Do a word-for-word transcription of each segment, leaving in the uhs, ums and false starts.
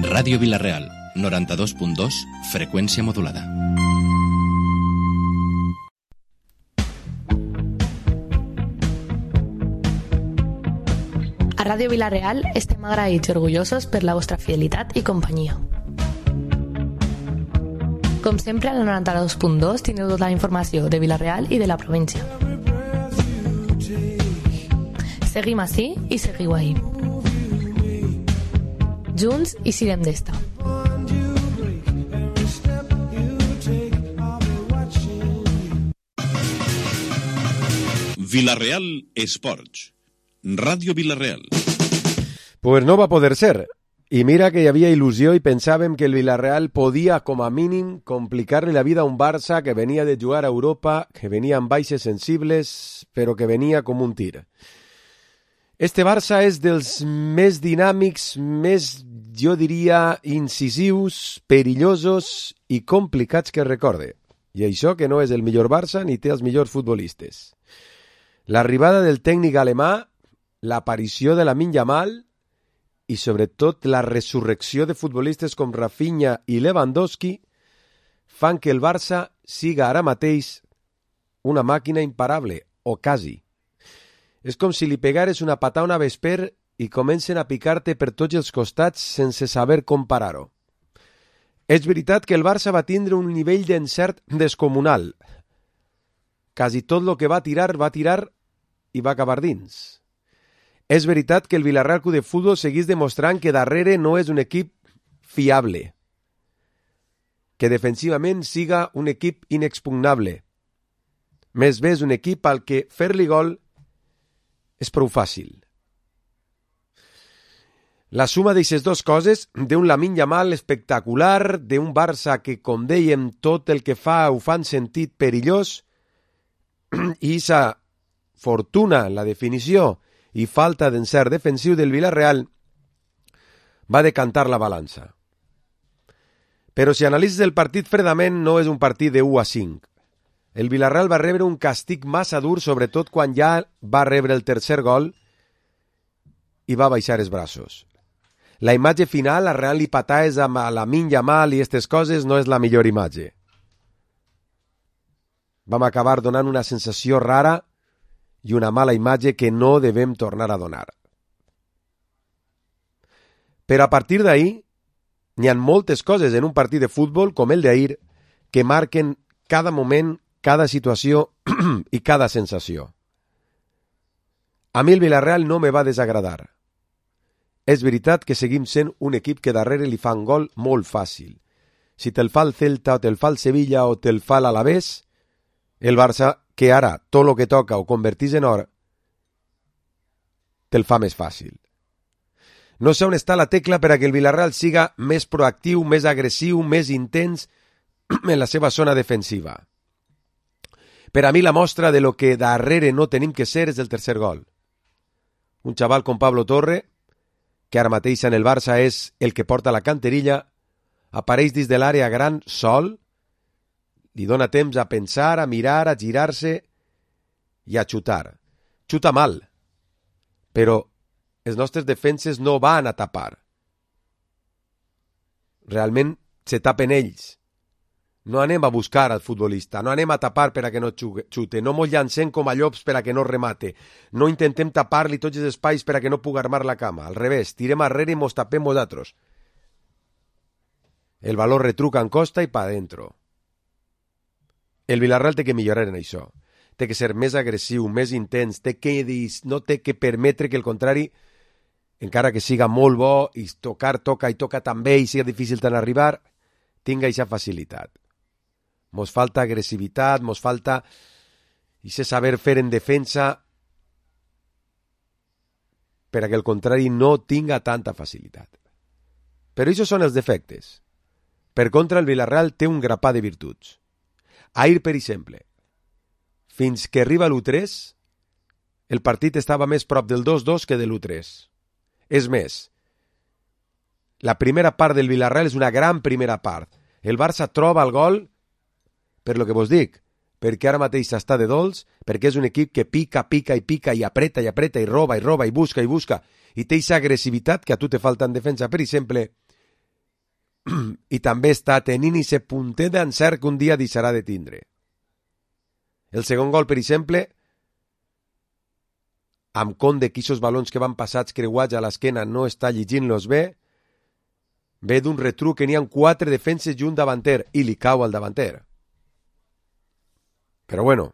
Ràdio Vila-real, noranta-dos punt dos, freqüència modulada. A Ràdio Vila-real estem agraïts i orgullosos per la vostra fidelitat i companyia. Com sempre, a la noranta-dos punt dos tindreu tota la informació de Vila-real i de la província. Seguim ací i seguiu ahí. Junts i sirem d'esta. Vila-real Esports. Ràdio Vila-real. Pues no va poder ser. I mira que hi havia il·lusió i pensàvem que el Vila-real podia, com a mínim, complicar-li la vida a un Barça que venia de jugar a Europa, que venia amb baixes sensibles, però que venia com un tir. Este Barça és dels més dinàmics, més, jo diria, incisius, perillosos i complicats que recorde. I això que no és el millor Barça ni té els millors futbolistes. L'arribada del tècnic alemà, l'aparició de Lamine Yamal i sobretot la resurrecció de futbolistes com Rafinha i Lewandowski fan que el Barça siga ara mateix una màquina imparable, o quasi. És com si li pegares una patada a una vesper i comencen a picar-te per tots els costats sense saber com parar-ho. És veritat que el Barça va tindre un nivell d'encert descomunal. Quasi tot el que va tirar, va tirar i va acabar dins. És veritat que el Vila-real Club de Futbol seguís demostrant que darrere no és un equip fiable, que defensivament siga un equip inexpugnable. Més bé és un equip al que fer-li gol és prou fàcil. La suma d'aquestes dues coses, d'un Lamine Yamal espectacular, d'un Barça que, com dèiem, tot el que fa ho fan sentit perillós, i sa fortuna, la definició i falta d'encert defensiu del Vila-real, va decantar la balança. Però si analitzes el partit fredament, no és un partit de u a cinc. El Vila-real va rebre un càstig massa dur, sobretot quan ja va rebre el tercer gol i va baixar els braços. La imatge final, arrelant li pataes amb Lamine Yamal i aquestes coses, no és la millor imatge. Vam acabar donant una sensació rara i una mala imatge que no devem tornar a donar. Però a partir d'ahir, n'hi ha moltes coses en un partit de futbol com el d'ahir que marquen cada moment, cada situació i cada sensació. A mi el Vila-real no me va desagradar. És veritat que seguim sent un equip que darrere li fan gol molt fàcil. Si te'l fa el Celta o te'l fa el Sevilla o te'l fa l'Alavés, el Barça, que ara tot el que toca ho convertís en or, te'l fa més fàcil. No sé on està la tecla per a que el Vila-real siga més proactiu, més agressiu, més intens en la seva zona defensiva. Per a mi la mostra de lo que darrere no tenim que ser és el tercer gol. Un xaval com Pablo Torre, que ara mateix en el Barça és el que porta la canterilla, apareix dins de l'àrea gran sol, li dona temps a pensar, a mirar, a girar-se i a xutar. Xuta mal, però els nostres defenses no van a tapar. Realment se tapen ells. No anem a buscar al futbolista, no anem a tapar per a que no xute, no mos llancem com a llops per a que no remate, no intentem tapar-li tots els espais per a que no pugui armar la cama. Al revés, tirem arrere i mos tapem nosaltres. El valor retruca en costa i pa dentro. El Vila-real té que millorar en això. Té que ser més agressiu, més intens, té que, no té que permetre que el contrari, encara que siga molt bo i tocar, toca i toca també i siga difícil tant arribar, tinga aquesta facilitat. Mos falta agressivitat, mos falta ese saber fer en defensa per a que el contrari no tinga tanta facilitat. Però això són els defectes. Per contra, el Vila-real té un grapà de virtuts. Ahir, per exemple, fins que arriba l'u tres, el partit estava més prop del dos dos que de l'u tres. És més, la primera part del Vila-real és una gran primera part. El Barça troba el gol, per lo que vos dic, perquè ara mateix està de dolç, perquè és un equip que pica, pica i pica i apreta i apreta i roba i roba i busca i busca i té aquesta agressivitat que a tu te falta en defensa, per exemple, i també està tenint aquest puntet d'encert que un dia deixarà de tindre. El segon gol, per exemple, amb compte que aquests balons que van passats creuats a l'esquena no està llegint-los bé, ve d'un retruc que n'hi ha quatre defenses i un davanter, i li cau al davanter. Però bueno,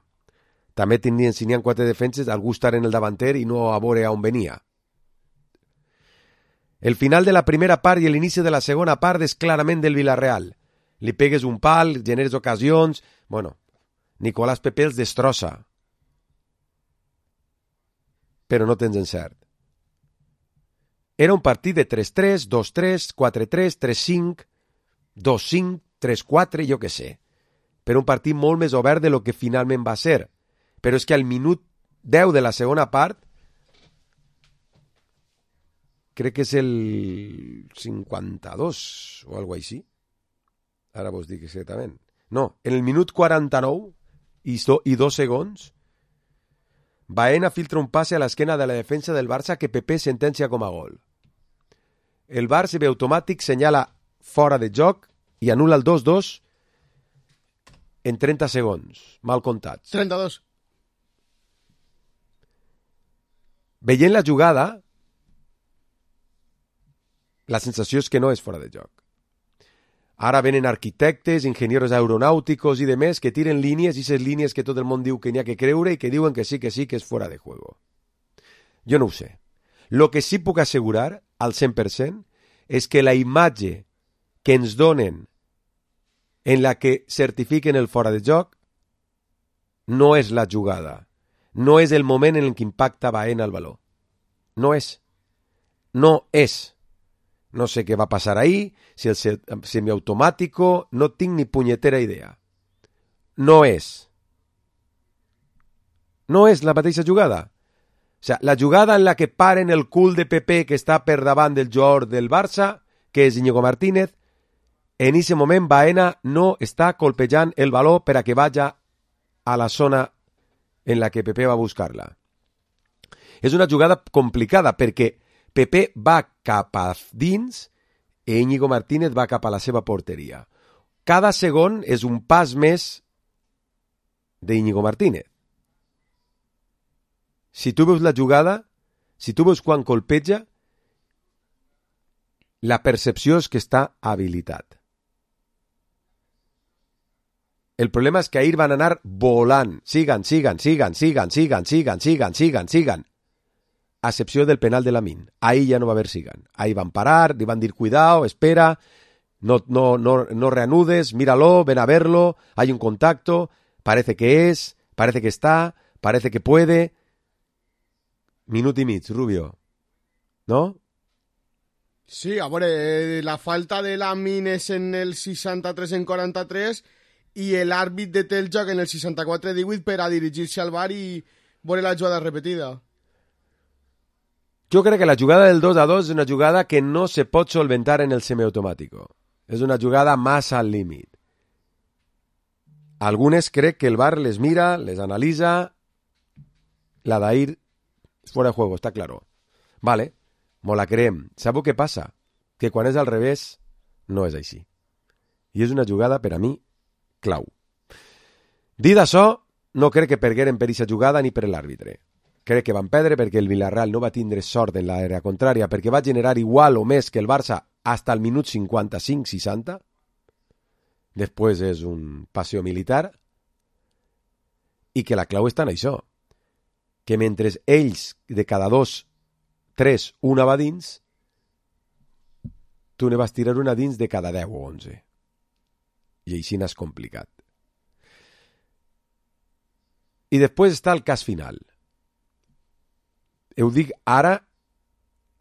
també tindrien, si n'hi ha quatre defenses, algú estar en el davanter i no a veure on venia. El final de la primera part i l'inici de la segona part és clarament del Villarreal. Li pegues un pal, generes ocasions... Bueno, Nicolás Pepe els destrossa. Però no tens encert. Era un partit de tres tres, dos tres, quatre tres, tres cinc, dos cinc, tres quatre, jo què sé. Però un partit molt més obert de lo que finalment va ser. Però és que al minut deu de la segona part, crec que és el cinquanta-dos o alguna cosa així. Ara vos dic exactament. No, en el minut quaranta-nou i, so, i dos segons, Baena filtra un passe a l'esquena de la defensa del Barça que Pepe sentencia com a gol. El V A R se ve automàtic, senyala fora de joc i anul·la el dos dos en trenta segons, mal comptats. trenta-dos. Veient la jugada, la sensació és que no és fora de joc. Ara venen arquitectes, enginyers aeronàuticos i demés que tiren línies, i aquestes línies que tot el món diu que n'hi ha que creure i que diuen que sí, que sí, que és fora de juego. Jo no ho sé. Lo que sí puc assegurar, al cent per cent, és que la imatge que ens donen en la que certifiquen el fora de joc no és la jugada. No és el moment en el que impacta Baena el baló. No és. No és. No sé què va passar ahí, si el semiautomàtico, no tinc ni punyetera idea. No és. No és la mateixa jugada. O sea, la jugada en la que paren el cul de Pepe que està per davant del jugador del Barça, que és Íñigo Martínez, en aquest moment Baena no està colpejant el baló per a que vaya a la zona en la que Pepe va a buscar-la. És una jugada complicada perquè Pepe va cap a dins i Íñigo Martínez va cap a la seva porteria. Cada segon és un pas més d'Íñigo Martínez. Si tu veus la jugada, si tu veus quan colpeja, la percepció és que està habilitat. El problema és que ahir van anar volant. Sigan, sigan, sigan, sigan, sigan, sigan, sigan, sigan, sigan. A excepció del penal de Lamine. Ahí ya no va haver sigan. Ahí van parar, li van dir cuidado, espera, no, no, no, no reanudes, míralo, ven a verlo, hay un contacto, parece que es, parece que está, parece que puede. Minut i mig, Rubio. ¿No? Sí, a veure, la falta de Lamine és en el seixanta-tres en quaranta-tres i l'àrbit de el joc en el seixanta-quatre divuit per a dirigir-se al V A R i veure la jugada repetida. Jo crec que la jugada del dos a dos és una jugada que no se pot solventar en el semiautomàtico. És una jugada massa al límit. Algunes crec que el V A R les mira, les analitza. La d'ahir és fora de juego, està claro. Vale, mo la creem. Sabeu què passa? Que quan és al revés, no és així. I és una jugada, per a mi, clau. Dit això, no crec que pergueren per aquesta jugada ni per l'àrbitre. Crec que van perdre perquè el Villarreal no va tindre sort en l'àrea contrària, perquè va generar igual o més que el Barça hasta el minut cinquanta-cinc seixanta. Després és un paseo militar. I que la clau està en això. Que mentre ells, de cada dos, tres, una va dins, tu ne vas tirar una dins de cada deu o onze. I així n'és complicat. I després està el cas final. Ho dic ara,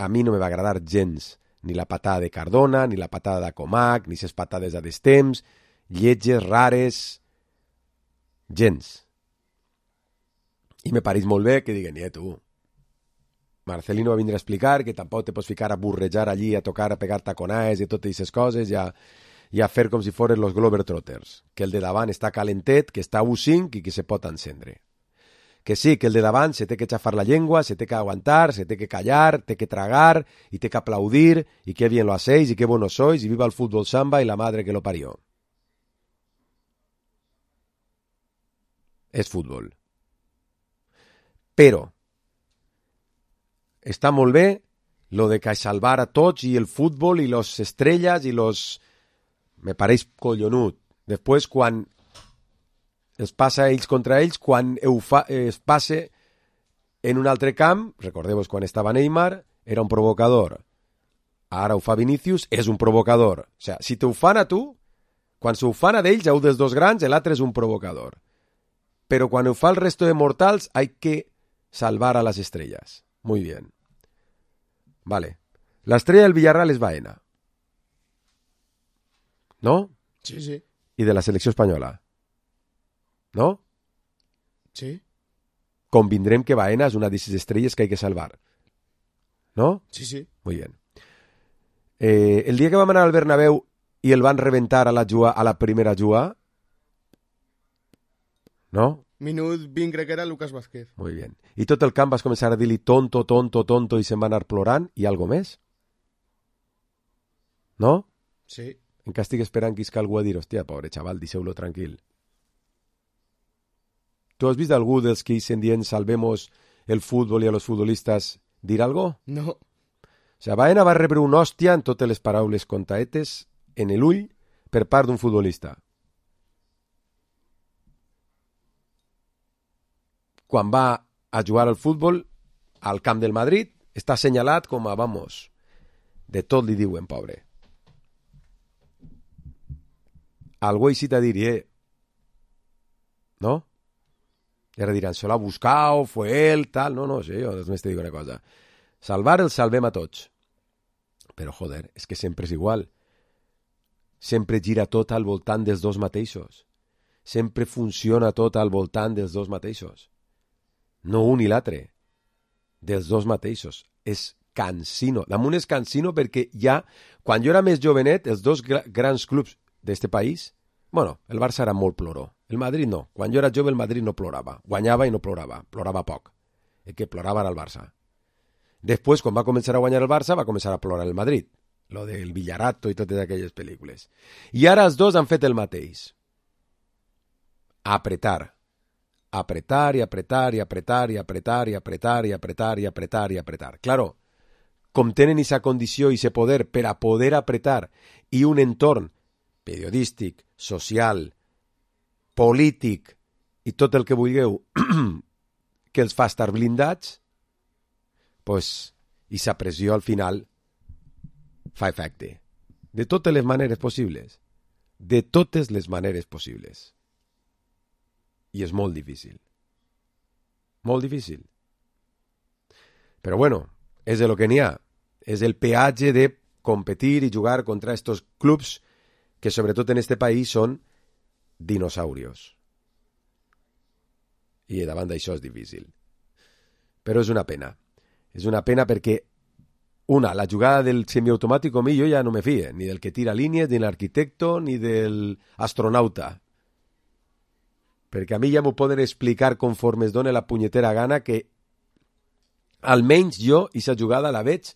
a mi no me va agradar gens ni la patada de Cardona, ni la patada de Comac, ni ses patades a destemps, lletges, rares, gens. I me pareix molt bé que diguen, eh, tu, Marcelino va vindre a explicar que tampoc te pots ficar a burrejar allí, a tocar, a pegar taconaes i totes aquestes coses, i a, i a fer com si foren los Globetrotters, que el de davant està calentet, que està a u cinc i que se pot encendre. que sí, que el de davant se té que xafar la llengua, se té que aguantar, se té que callar, té que tragar, y té que aplaudir, y qué bien lo hacéis, y qué buenos sois, y viva el fútbol samba y la madre que lo parió. És futbol. Però està molt bé lo de que salvar a tots i el futbol i les estrelles i los... Me pareix collonut. Després, quan es passa ells contra ells, quan fa, es passe en un altre camp, recordeu-vos quan estava Neymar, era un provocador. Ara ho fa Vinícius, és un provocador. O sigui, si t'ho fan a tu, quan s'ho fan a d'ells, a un dels dos grans, l'altre és un provocador. Pero cuando fa el resto de mortals hay que salvar a las estrellas. Muy bien. Vale. La estrella del Villarreal es Baena. ¿No? Sí, sí. Y de la selección española. ¿No? Sí. Convindrem que Baena es una de esas estrellas que hay que salvar. ¿No? Sí, sí. Muy bien. Eh, el día que vam anar al Bernabéu y el van reventar a la, jua, a la primera jugada, ¿no? Minut vint crec que era Lucas Vázquez. Muy bien. I tot el camp vas començar a dir-li tonto, tonto, tonto i se'n va anar plorant i algo més? No? Sí. Encara estic esperant que isca algú a dir, hòstia, pobre xaval, deixeu-lo tranquil. Tu has vist algú dels que isen dient salvemos el futbol i a los futbolistas dir algo? No. O sigui, Baena va rebre una hòstia en totes les paraules contaetes en l'ull per part d'un futbolista. Quan va a jugar al futbol al camp del Madrid, està assenyalat com a, vamos, de tot li diuen, pobre. Algú així t'ha dit, eh? ¿No? I ara diran, se l'ha buscat, fue él, tal. No, no, sí, jo només te dic una cosa. Salvar el salvem a tots. Però, joder, és que sempre és igual. Sempre gira tot al voltant dels dos mateixos. Sempre funciona tot al voltant dels dos mateixos. No un i l'altre, dels dos mateixos. És cansino. Damunt és cansino perquè ja, quan jo era més jovenet, els dos gra grans clubs d'este país, bueno, el Barça era molt ploró. El Madrid no. Quan jo era jove, el Madrid no plorava. Guanyava i no plorava. Plorava poc. El que plorava era el Barça. Després, quan va començar a guanyar el Barça, va començar a plorar el Madrid. Lo del Villarato i totes aquelles pel·lícules. I ara els dos han fet el mateix. Apretar. Apretar y apretar y apretar y apretar y apretar y apretar y apretar y apretar. Claro, com tenen esa condició i ese poder per a poder apretar i un entorn periodístic, social, polític i tot el que vulgueu que els fa estar blindats, pues, i sa pressió al final fa efecte. De totes les maneres possibles. De totes les maneres possibles. I és molt difícil. Molt difícil. Però bueno, és de lo que n'hi ha. És el peatge de competir i jugar contra estos clubs que sobretot en este país són dinosaurios. I davant d'això és difícil. Però és una pena. És una pena perquè, una, la jugada del semiautomàtic a mi jo ja no me fie, ni del que tira línies, ni l'arquitecto, ni del astronauta. Perquè a mi ja m'ho poden explicar conforme es dona la punyetera gana que almenys jo, aquesta jugada la veig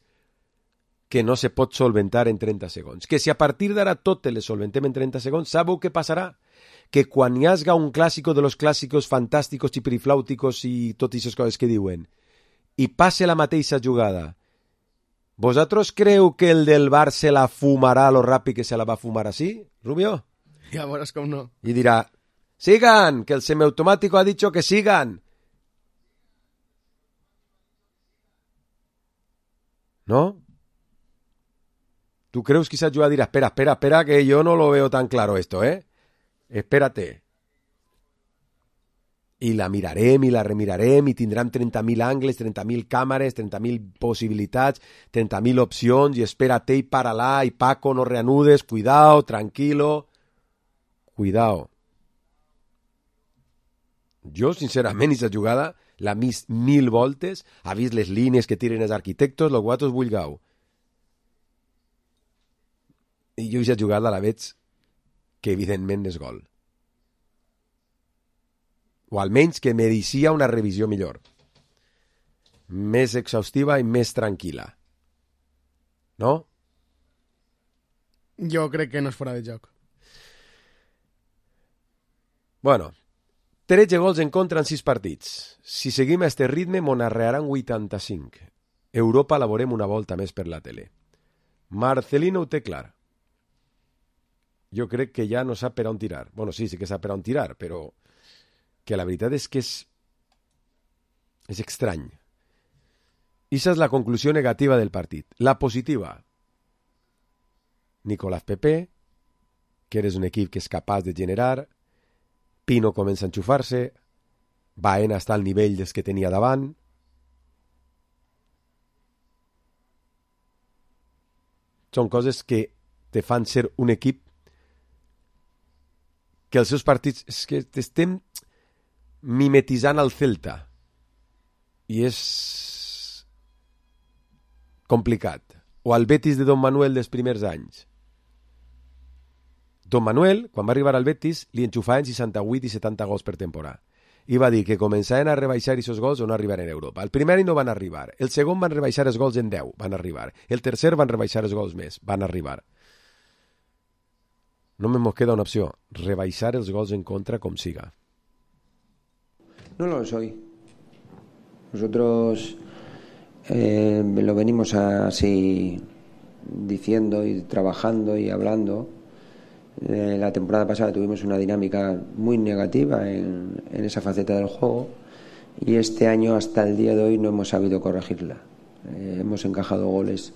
que no se pot solventar en trenta segons. Que si a partir d'ara totes les solventem en trenta segons, sabeu què passarà? Que quan hi hagi un clàssico de los clàssicos fantàsticos i periflàuticos i totes aquestes coses que diuen, i passe la mateixa jugada, vosaltres creu que el del Bar se la fumarà lo ràpid que se la va fumar així, Rubio? Ja veuràs com no. I dirà, sigan, que el semiautomático ha dicho que sigan. ¿No? ¿Tú crees que esa ayuda dirá, espera, espera, espera, que yo no lo veo tan claro esto, eh? Espérate. I la mirarem i la remirarem i tindrem trenta mil angles, trenta mil càmeres, trenta mil possibilitats, trenta mil opcions i espérate i para-la i Paco, no reanudes, cuidao, tranquilo. Cuidao. Jo, sincerament, aquesta jugada l'ha vist mil voltes, ha vist les línies que tiren els arquitectos, los guatos vulgueu. I jo aquesta jugada la veig que evidentment és gol. o almenys que mereixia una revisió millor, més exhaustiva i més tranquil·la. No? Jo crec que no és fora de joc. Bueno, tretze gols en contra en sis partits. Si seguim a este ritme, mon arrearan vuitanta-cinc. Europa la veurem una volta més per la tele. Marcelino ho té clar. Jo crec que ja no sap per on tirar. Bueno, sí, sí que sap per on tirar, però que la veritat és que és és estrany. Ixa és la conclusió negativa del partit. La positiva, Nicolás Pepe, que eres un equip que és capaç de generar, Pino comença a enxufar-se, Baena està al nivell dels que tenia davant, són coses que te fan ser un equip que els seus partits és que estem mimetitzant al Celta i és complicat, o al Betis de Don Manuel dels primers anys. Don Manuel, quan va arribar al Betis, li enxufaven seixanta-vuit i setanta gols per temporada. I va dir que començaven a rebaixar aquests gols o no arribaren a Europa. El primer any no van arribar. El segon van rebaixar els gols en deu, van arribar. El tercer van rebaixar els gols més, van arribar. Només nos queda una opció, rebaixar els gols en contra com siga. No lo soy. Nosotros eh, lo venimos así diciendo y trabajando y hablando. Eh, la temporada pasada tuvimos una dinámica muy negativa en, en esa faceta del juego y este año hasta el día de hoy no hemos sabido corregirla. Eh, hemos encajado goles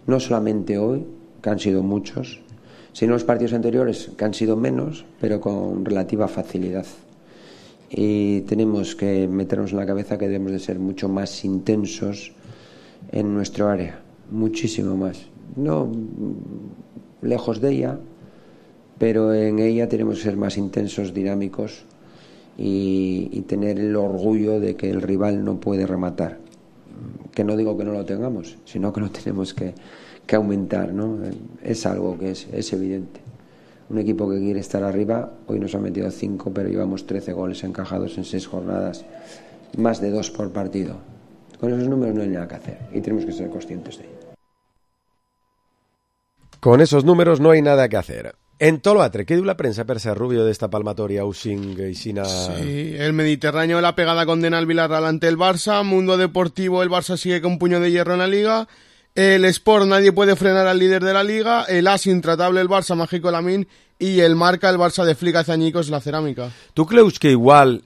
no solamente hoy, que han sido muchos, sino los partidos anteriores, que han sido menos, pero con relativa facilidad. Y tenemos que meternos en la cabeza que debemos de ser mucho más intensos en nuestro área, muchísimo más. No lejos de ella, pero en ella tenemos que ser más intensos, dinámicos y, y tener el orgullo de que el rival no puede rematar. Que no digo que no lo tengamos, sino que lo tenemos que, que aumentar, ¿no? Es algo que es, es evidente. Un equipo que quiere estar arriba, hoy nos ha metido cinco, pero llevamos trece goles encajados en seis jornadas, más de dos por partido. Con esos números no hay nada que hacer y tenemos que ser conscientes de ello. Con esos números no hay nada que hacer. En todo lo altre, ¿qué diu la prensa per ser Rubio de esta palmatoria Using y Sina? Sí, el Mediterráneo, la pegada condena al Villarreal ante el Barça. Mundo Deportivo, el Barça sigue con puño de hierro en la Liga. El Sport, nadie puede frenar al líder de la Liga. El As, intratable el Barça, Mágico Lamín. Y el Marca, el Barça de Flick hace añicos la Ceràmica. Tu creus que igual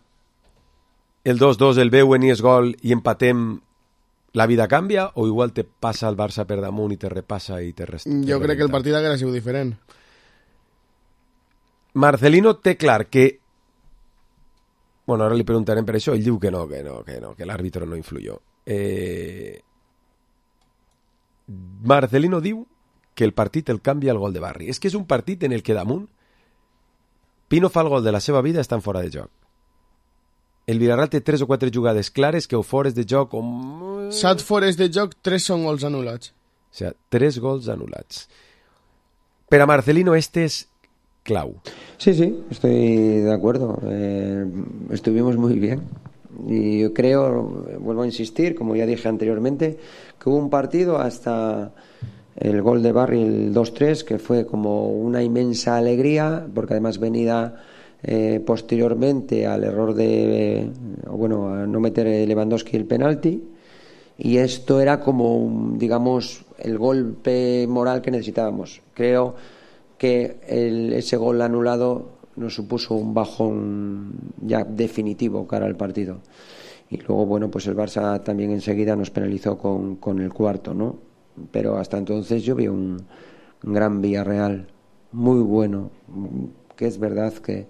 el dos dos el veuen i és gol i empatem, la vida canvia, o igual te passa el Barça per damunt i te repassa i te resta? Jo crec que el partit haguera sigut diferent. Marcelino té clar que... Bueno, ara li preguntarem per això. Ell diu que no, que no, que no, que l'àrbitre no influyó. Eh... Marcelino diu que el partit el canvia el gol de Barri. És que és un partit en el que damunt Pino fa el gol de la seva vida, estan fora de joc. El Villarreal té tres o quatre jugades clares que o fores de joc o... Set fores de joc, tres són gols anul·lats. O sea, tres gols anul·lats. Per a Marcelino este és clau. Sí, sí, estoy de acuerdo. Eh, estuvimos muy bien. Y yo creo, vuelvo a insistir, como ya dije anteriormente, que hubo un partido hasta el gol de Barry, el dos tres, que fue como una inmensa alegría, porque además venida eh, posteriormente al error de, eh, bueno, a no meter Lewandowski el penalti, y esto era como, digamos, el golpe moral que necesitábamos. Creo que el, ese gol anulado nos supuso un bajón ya definitivo cara al partido. Y luego, bueno, pues el Barça también enseguida nos penalizó con, con el cuarto, ¿no? Pero hasta entonces yo vi un, un gran Villarreal, muy bueno, que es verdad que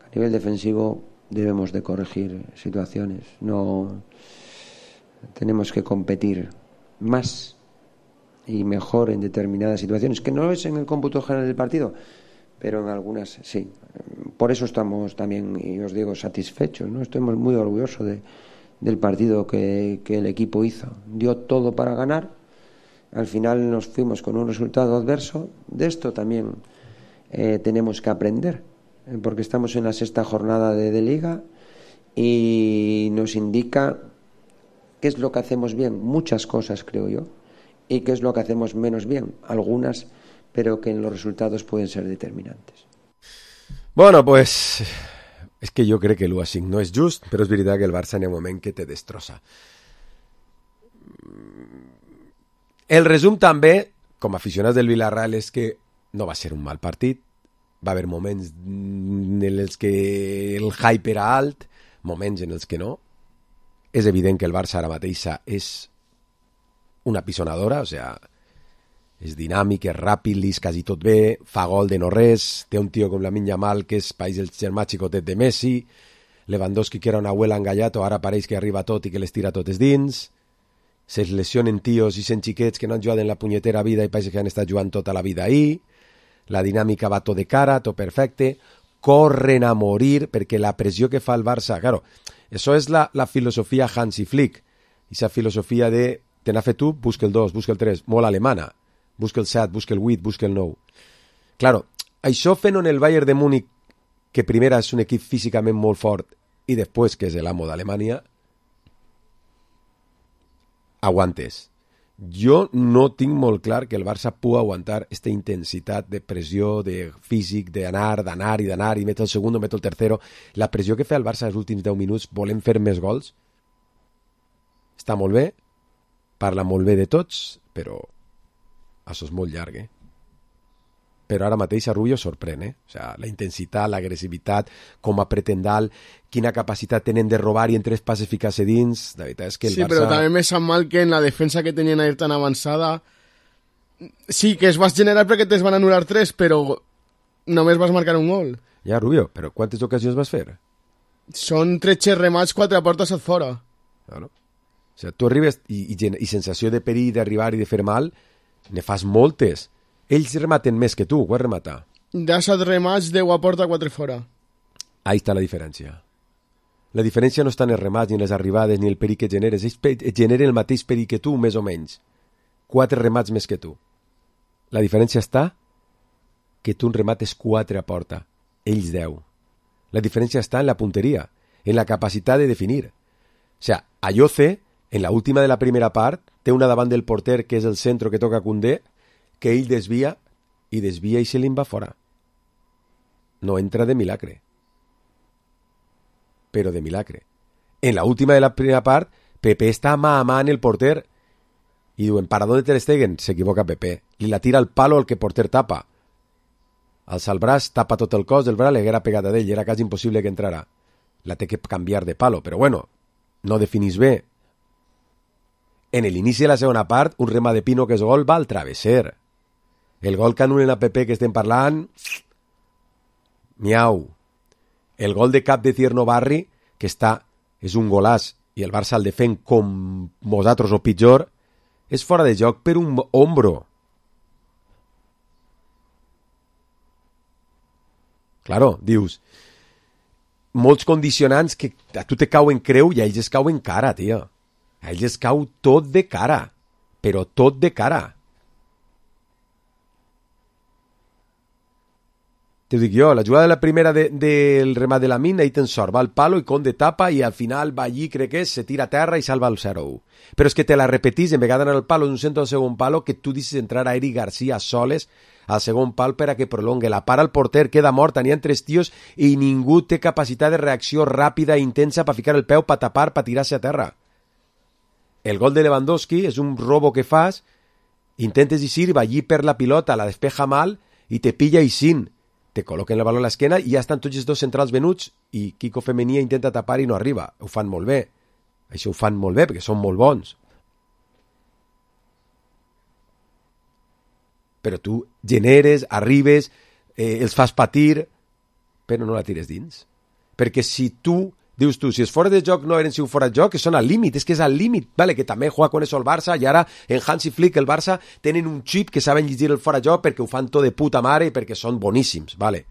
a nivel defensivo debemos de corregir situaciones. No tenemos que competir más y mejor en determinadas situaciones, que no es en el cómputo general del partido, pero en algunas sí. Por eso estamos también, y os digo, satisfechos, ¿no? Estamos muy orgullosos de, del partido que, que el equipo hizo. Dio todo para ganar. Al final nos fuimos con un resultado adverso. De esto también eh, tenemos que aprender, eh, porque estamos en la sexta jornada de, de Liga y nos indica qué es lo que hacemos bien, muchas cosas creo yo, y qué es lo que hacemos menos bien, algunas, pero que en los resultados pueden ser determinantes. Bueno, pues és que jo crec que l'u a cinc no és just, però és veritat que el Barça en el moment que te destrossa. El resum també, com a aficionats del Villarreal, és que no va ser un mal partit, va haver moments en els que el hype era alt, moments en els que no. És evident que el Barça ara mateixa és una pisonadora, o sea, és dinàmic, és ràpid, lis quasi tot bé, fa gol de no res, té un tio com Lamine Yamal que és país el germà xicotet de Messi, Lewandowski que era una abuela engallato, ara pareix que arriba tot i que les tira totes dins, se lesionen tios i sent xiquets que no han jugat en la punyetera vida i pareix que han estat jugant tota la vida ahí, la dinàmica va tot de cara, tot perfecte, corren a morir perquè la pressió que fa el Barça, claro, això és la, la filosofia Hansi Flick, esa filosofia de te n'ha fet tu, busca el dos, busca el tres, molt alemana, busca el set, busca el vuit, busca el nou. Claro, això fent en el Bayern de Múnich, que primera és un equip físicament molt fort i després que és l'amo d'Alemanya, aguantes. Jo no tinc molt clar que el Barça pugui aguantar aquesta intensitat de pressió, de físic, d'anar, d'anar i d'anar, i meto el segon, meto el tercero. La pressió que fa el Barça els últims deu minuts, volem fer més gols, està molt bé, parla molt bé de tots, però això és molt llarg, eh? Però ara mateix a Rubio sorprèn, eh? O sea, la intensitat, l'agressivitat, com apreten dalt, quina capacitat tenen de robar i en tres passes ficar-se dins. La veritat és que el sí, Barça... però també me sap mal que en la defensa que tenien ahir tan avançada sí, que es vas generar perquè te'ls van anul·lar tres, però només vas marcar un gol. Ja, Rubio, però quantes ocasions vas fer? Són tretze remats, quatre portes a fora. Claro. O sigui, tu arribes i, i, i sensació de perill d'arribar i de fer mal, ne fas moltes. Ells rematen més que tu, ho has rematar. De set remats, deu a porta, quatre fora. Ahí està la diferència. La diferència no està en els remats, ni en les arribades, ni el perill que generes. Ells pe- generen el mateix perill que tu, més o menys. Quatre remats més que tu. La diferència està que tu en remates quatre a porta. Ells deu. La diferència està en la punteria, en la capacitat de definir. O sea, Ayoce, en la última de la primera part, té una davant del porter que és el centro que toca Koundé, que ell desvia i desvia i se li'n va fora. No entra de milagre. Però de milagre. En la última de la primera part, Pepe està mà a mà en el porter i diuen, ¿para dónde Ter Stegen? S'equivoca Pepe. Li la tira al palo el que porter tapa. Alça el braç, tapa tot el cos del braç, l'haguera pegat a d'ell, era quasi impossible que entrara. La té que canviar de palo, però bueno, no definís bé. En l'inici de la segona part, un rema de Pino que és gol va al travesser. El gol que anulen a Pepe que estem parlant, miau. El gol de cap de Tierno Barri, que està, és un golàs, i el Barça el defèn com nosaltres o pitjor, és fora de joc per un ombro. Claro, dius, molts condicionants que a tu te cauen creu i a ells es cauen cara, tio. A ells es cau tot de cara, però tot de cara. Te dic jo, la jugada de la primera del de, de remat de la mina, ahí ten sort, va al palo i Conde tapa i al final va allí, crec que és, se tira a terra i salva el zero u. Però és que te la repetís, en vegada d'anar al palo d'un centre al segon palo, que tu dices entrar a Eric García soles al segon pal per a que prolongue. La para el porter, queda mort, tenien tres tios i ningú té capacitat de reacció ràpida i intensa per ficar el peu, per tapar, per tirar-se a terra. El gol de Lewandowski és un robo que fas, intentes eixir, va allí per la pilota, la despeja mal i te pilla eixint. Te col·loquen el valor a l'esquena i ja estan tots els dos centrals venuts i Kiko Femenia intenta tapar i no arriba. Ho fan molt bé. Això ho fan molt bé perquè són molt bons. Però tu generes, arribes, eh, els fas patir, però no la tires dins. Perquè si tu, dius tu, si és fora de joc no eren si un fora de joc, que són al límit, és que és al límit, vale, que també juega con eso el Barça, i ara en Hansi Flick el Barça tenen un xip que saben llegir el fora de joc perquè ho fan tot de puta mare i perquè són boníssims, vale.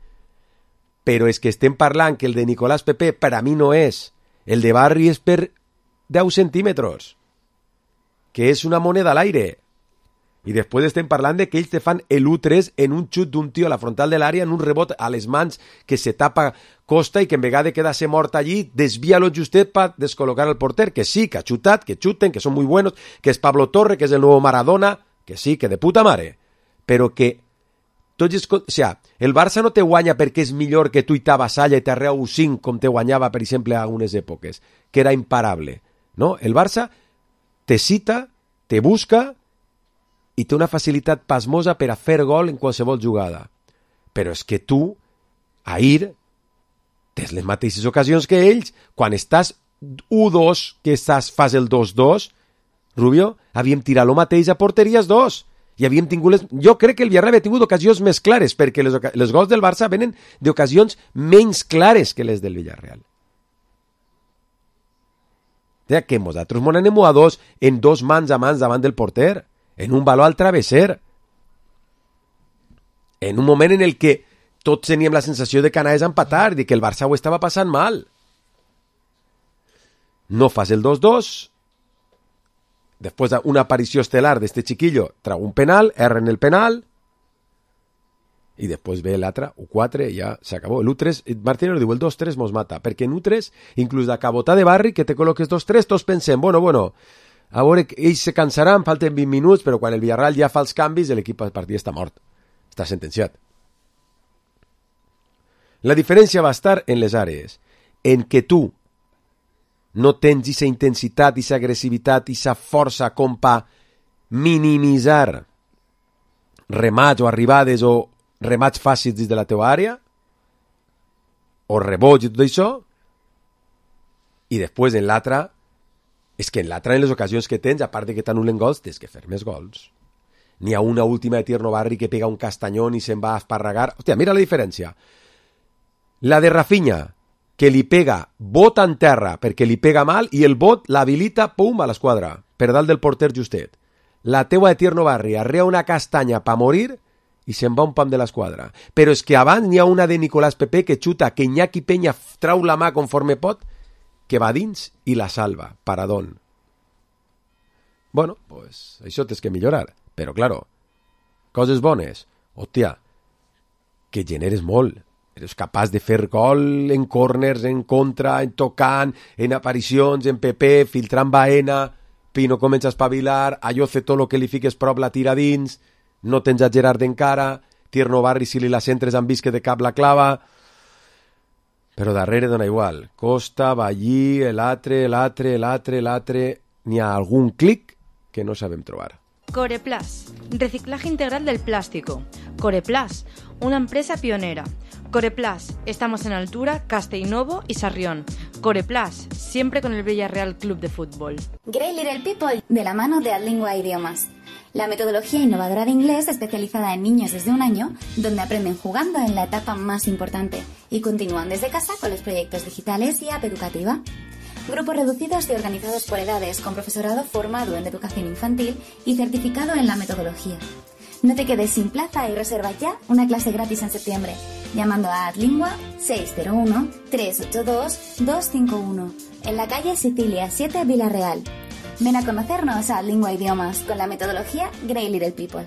Però és que estem parlant que el de Nicolás Pepe per a mi no és, el de Barri és per deu centímetres, que és una moneda a l'aire. I després estem parlant de que ells te fan l'u tres en un xut d'un tio a la frontal de l'àrea, en un rebot a les mans que se tapa Costa i que en vegada de quedar-se mort allí, desvia-lo justet per descol·locar el porter, que sí, que ha xutat, que xuten, que són muy buenos, que és Pablo Torre, que és el nou Maradona, que sí, que de puta mare, però que tots els... O sea, el Barça no te guanya perquè és millor que tu i t'avassalla i t'arrea u cinc com te guanyava, per exemple, a algunes èpoques, que era imparable, no? El Barça te cita, te busca i té una facilitat pasmosa per a fer gol en qualsevol jugada. Però és que tu, ahir, tens les mateixes ocasions que ells. Quan estàs u dos, que estàs, fas el dos dos, Rubio, havíem tirat el mateix a porteries dos. I havíem tingut les... Jo crec que el Villarreal havia tingut ocasions més clares, perquè les, oca... les gols del Barça venen d'ocasions menys clares que les del Villarreal. O sigui que nosaltres mos anem a dos en dos mans a mans davant del porter, en un baló al travesser, en un moment en el que tots teníem la sensació de que anaves a empatar, de que el Barça ho estava passant mal. No fas el dos dos, després una aparició estel·lar d'este chiquillo, trau un penal, erren el penal, i després ve l'altre, u quatre, i ja s'acabó. L'u tres, Martínez diu, el dos tres mos mata, perquè en u tres, inclús de cabota de barri, que te col·loques dos tres, tots pensem, bueno, bueno, a veure, ells se cansaran, falten vint minuts, però quan el Villarreal ja fa els canvis, l'equip del partit està mort, està sentenciat. La diferència va estar en les àrees, en que tu no tens aquesta intensitat, aquesta agressivitat, aquesta força com per minimitzar remats o arribades o remats fàcils dins de la teva àrea, o rebots i tot això, i després en l'altra, és que en l'altra, en les ocasions que tens, a part de que t'anulen gols, tens que fer més gols. N'hi ha una última de Tierno Barri que pega un castanyón i se'n va a esparragar. Hòstia, mira la diferència. La de Rafinha, que li pega bot en terra perquè li pega mal i el bot l'habilita, pum, a l'esquadra, per dalt del porter justet. La teua de Tierno Barri arrea una castanya pa morir i se'n va un pam de l'esquadra. Però és que abans n'hi ha una de Nicolás Pepe que xuta, que Iñaki Peña trau la mà conforme pot, que va dins i la salva, paradón. Bueno, pues això tens que millorar. Però, claro, coses bones. Hòstia, que generes molt. Eres capaç de fer gol en corners, en contra, en tocant, en aparicions, en P P, filtrant Baena, Pino comença a espavilar, Ayoce tot el que li fiques prop la tira dins, no tens a Gerard encara, Tierno Barri si li la centres han vist que de cap la clava, però darrere dona igual. Costa, Ballí, l'altre, l'altre, l'altre, l'altre, n'hi ha algun clic que no sabem trobar. Coreplas, reciclaje integral del plástico. Coreplas, una empresa pionera. Coreplas, estamos en Altura, Castellnovo y Sarrión. Coreplas, siempre con el Villarreal Club de Fútbol. Great Little People, de la mano de Adlingua Idiomas. La metodología innovadora de inglés especializada en niños desde un año, donde aprenden jugando en la etapa más importante y continúan desde casa con los proyectos digitales y app educativa. Grupos reducidos y organizados por edades, con profesorado formado en educación infantil y certificado en la metodología. No te quedes sin plaza y reserva ya una clase gratis en septiembre, llamando a Adlingua seis cero uno, tres ocho dos, dos cinco uno, en la calle Sicilia siete, Villarreal. Ven a conocernos a Adlingua Idiomas con la metodología Great Little People.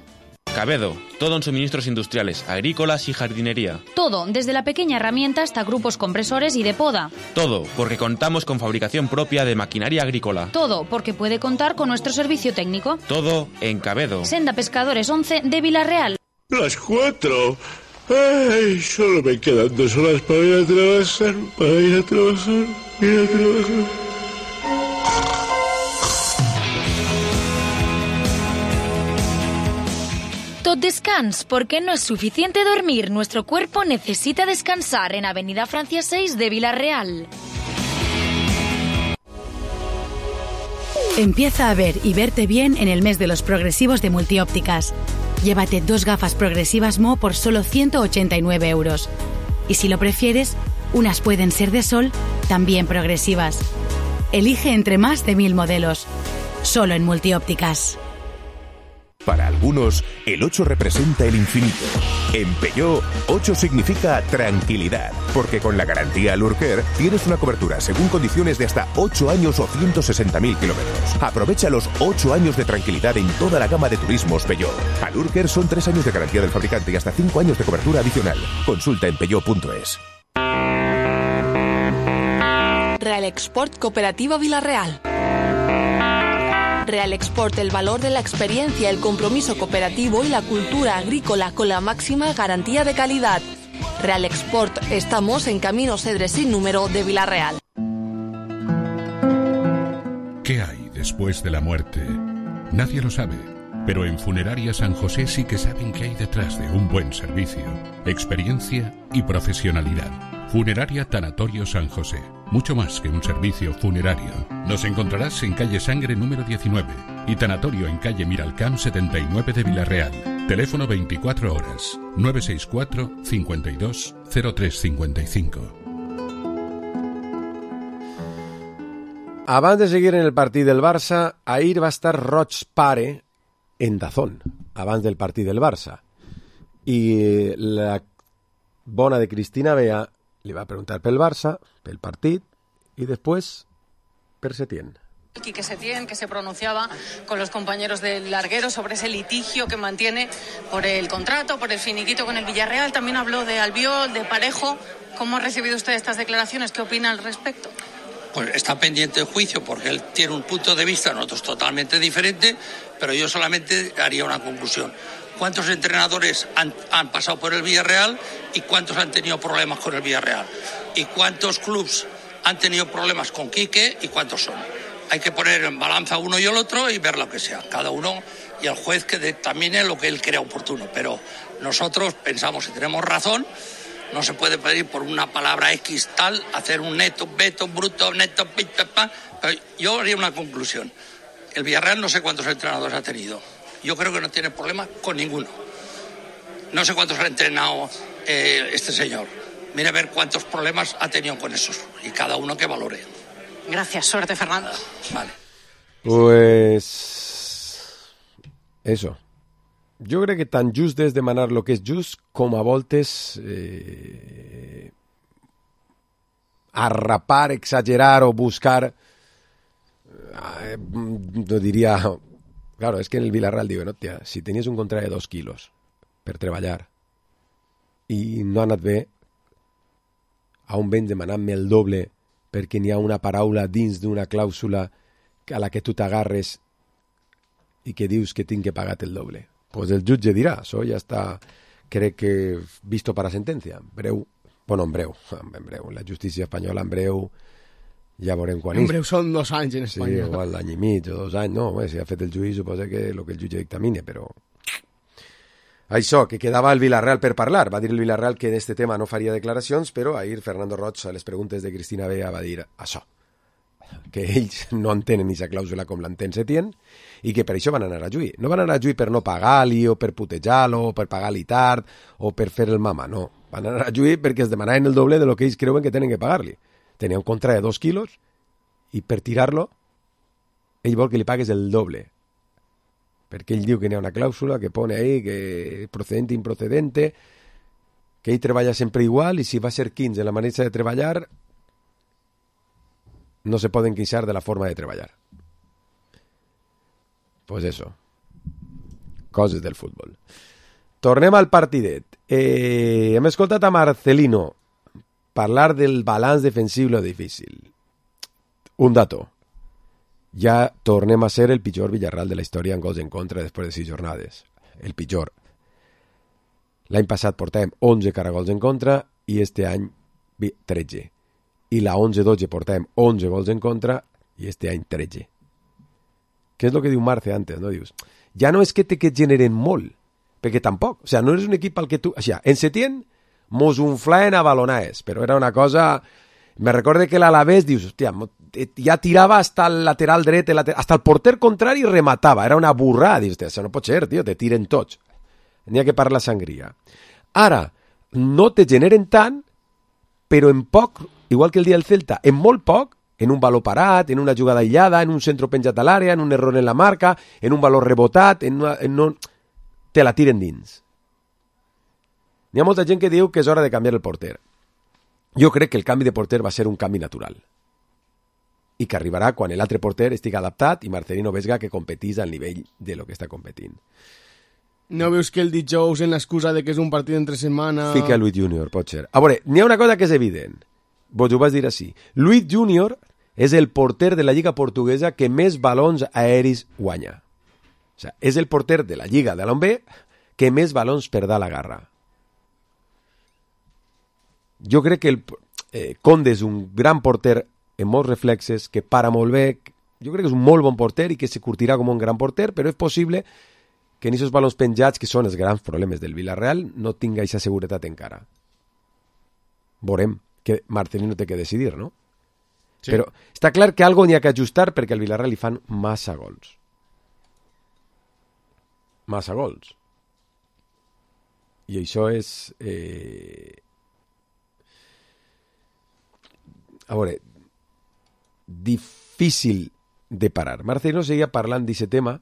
Cabedo, todo en suministros industriales, agrícolas y jardinería. Todo, desde la pequeña herramienta hasta grupos compresores y de poda. Todo, porque contamos con fabricación propia de maquinaria agrícola. Todo, porque puede contar con nuestro servicio técnico. Todo en Cabedo. Senda Pescadores once de Villarreal. Las cuatro. Ay, solo me quedan dos horas para ir a trabajar, para ir a trabajar, ir a trabajar. Tot descans, porque no es suficiente dormir. Nuestro cuerpo necesita descansar en Avenida Francia seis de Villarreal. Empieza a ver y verte bien en el mes de los progresivos de Multiópticas. Llévate dos gafas progresivas Mo por solo ciento ochenta y nueve euros. Y si lo prefieres, unas pueden ser de sol, también progresivas. Elige entre más de mil modelos. Solo en Multiópticas. Para algunos, el ocho representa el infinito. En Peugeot, ocho significa tranquilidad, porque con la garantía Alurcare tienes una cobertura según condiciones de hasta ocho años o ciento sesenta mil kilómetros. Aprovecha los ocho años de tranquilidad en toda la gama de turismos Peugeot. Alurcare son tres años de garantía del fabricante y hasta cinco años de cobertura adicional. Consulta en peugeot punto es. Real Export Cooperativa Vilarreal. Real Export, el valor de la experiencia, el compromiso cooperativo y la cultura agrícola con la máxima garantía de calidad. Real Export, estamos en Camino Cedres sin número de Vilarreal. ¿Qué hay después de la muerte? Nadie lo sabe, pero en Funeraria San José sí que saben qué hay detrás de un buen servicio, experiencia y profesionalidad. Funeraria Tanatorio San José, mucho más que un servicio funerario. Nos encontrarás en calle Sangre número diecinueve y Tanatorio en calle Miralcamp setenta y nueve de Vilarreal. Teléfono veinticuatro horas, nueve seis cuatro, cincuenta y dos, cero tres cincuenta y cinco. Abans de seguir en el partit del Barça, ahir va estar Roig pare en Dazón, abans del partit del Barça. I la bona de Cristina Bea li va preguntar pel Barça, pel partit, i després per Setién. Quique Setién, que se pronunciaba con los compañeros del larguero sobre ese litigio que mantiene por el contrato, por el finiquito con el Villarreal. También habló de Albiol, de Parejo. ¿Cómo ha recibido usted estas declaraciones? ¿Qué opina al respecto? Pues está pendiente el juicio porque él tiene un punto de vista, nosotros totalmente diferente, pero yo solamente haría una conclusión. ¿Cuántos entrenadores han, han pasado por el Villarreal y cuántos han tenido problemas con el Villarreal? ¿Y cuántos clubes han tenido problemas con Quique y cuántos son? Hay que poner en balanza uno y el otro y ver lo que sea. Cada uno y el juez que determine lo que él crea oportuno. Pero nosotros pensamos que tenemos razón. No se puede pedir por una palabra X tal, hacer un neto, veto, bruto, neto, pita, pa. Pero yo haría una conclusión. El Villarreal no sé cuántos entrenadores ha tenido. Yo creo que no tiene problema con ninguno. No sé cuántos ha entrenado eh, este señor. Mire a ver cuántos problemas ha tenido con esos. Y cada uno que valore. Gracias. Suerte, Fernando. Vale. Pues... Eso. Jo crec que tan just és demanar el que és just com a voltes eh, arrapar, exagerar o buscar eh, no diria... Claro, és que en el Villarreal diuen, hòstia, si tenies un contracte de dos quilos per treballar i no ha anat bé, a on vens demanant-me el doble perquè n'hi ha una paraula dins d'una clàusula a la que tu t'agarres i que dius que tinc que pagar el doble. Pues el jutge dirà, això ja està, crec que visto para sentencia, en breu, bueno, en breu, en breu, la justícia espanyola en breu, ja veurem quan és. En breu són dos anys en Espanya. Sí, igual l'any i mig o dos anys, no, bé, si ha fet el judici suposa que el que el jutge dictamine, però... Això, que quedava el Villarreal per parlar, va dir el Villarreal que en este tema no faria declaracions, però ahir Fernando Roig a les preguntes de Cristina Bea va dir això, que ells no entenen aquesta clàusula com l'entén Setién i que per això van anar a juir. No van anar a juir per no pagar-li o per putejar-lo o per pagar-li tard o per fer el mama, no. Van anar a juir perquè es demanaven el doble de lo que ells creuen que tenen que pagar-li. Tenia un contracte de dos quilos i per tirar-lo ell vol que li pagues el doble. Perquè ell diu que n'hi ha una clàusula que pone ahí que procedente, improcedente, que ell treballa sempre igual i si va ser quinze la manera de treballar no se poden queixar de la forma de treballar. Pues eso. Coses del futbol. Tornem al partidet. Eh, hem escoltat a Marcelino parlar del balanç defensiu lo difícil. Un dato. Ja tornem a ser el pitjor Villarreal de la història en gols en contra després de sis jornades. El pitjor. L'any passat portàvem onze caragols en contra i este any tretze. I la onze dotze portàvem onze gols en contra i este any tretze. Què és el que diu Marce antes, no? Dius, ja no és que te que generen molt, perquè tampoc, o sea, no eres un equip al que tu... O sea, en Setién mos unflaen a balonades, però era una cosa... Me recorde que l'Alavés, dius, hòstia, ja tirava hasta el lateral dret, el lateral... hasta el porter contrari rematava, era una burrada, dius, això no pot ser, tio, te tiren tots. N'hi ha que parlar sangria. Ara, no te generen tant, però en poc, igual que el dia del Celta, en molt poc, en un valor parat, en una jugada aïllada, en un centre penjat a l'àrea, en un error en la marca, en un valor rebotat, en una, en un... te la tiren dins. Hi ha molta gent que diu que és hora de canviar el porter. Jo crec que el canvi de porter va ser un canvi natural i que arribarà quan l'altre porter estigui adaptat i Marcelino Vesga que competís al nivell de lo que està competint. No veus que el dijous en l'excusa de que és un partit entre setmana... Fica Luis Junior, pot ser. A veure, n'hi ha una cosa que és evident. Vos ho vas dir així. Luis Junior és el porter de la Lliga Portuguesa que més balons aeris guanya. O sigui, és el porter de la Lliga de l'On B que més balons perdrà la garra. Jo crec que el eh, Conde és un gran porter en molts reflexes, que para molt bé, jo crec que és un molt bon porter i que se curtirà com un gran porter, però és possible que en aquests balons penjats, que són els grans problemes del Villarreal, no tinga aquesta seguretat encara. Veurem, que Marcelino té que decidir, no? Sí. Però està clar que algo n'hi ha que ajustar perquè al Villarreal li fan massa gols. Massa gols. I això és... Eh... A veure, difícil de parar. Marcelino seguía parlant d'aquest tema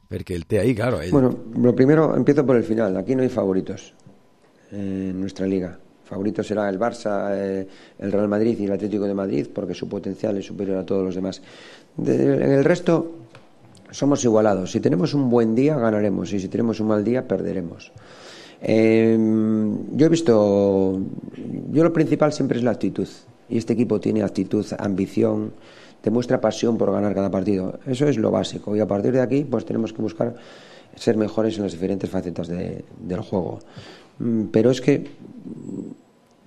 porque el té ahí, claro. Él... Bueno, lo primero, empiezo por el final. Aquí no hay favoritos en nuestra liga. Favorito será el Barça, eh, el Real Madrid y el Atlético de Madrid porque su potencial es superior a todos los demás. De, en el resto somos igualados. Si tenemos un buen día ganaremos y si tenemos un mal día perderemos. Eh, yo he visto, yo lo principal siempre es la actitud. Y este equipo tiene actitud, ambición, demuestra pasión por ganar cada partido. Eso es lo básico. Y a partir de aquí, pues tenemos que buscar ser mejores en las diferentes facetas de, del juego. Pero es que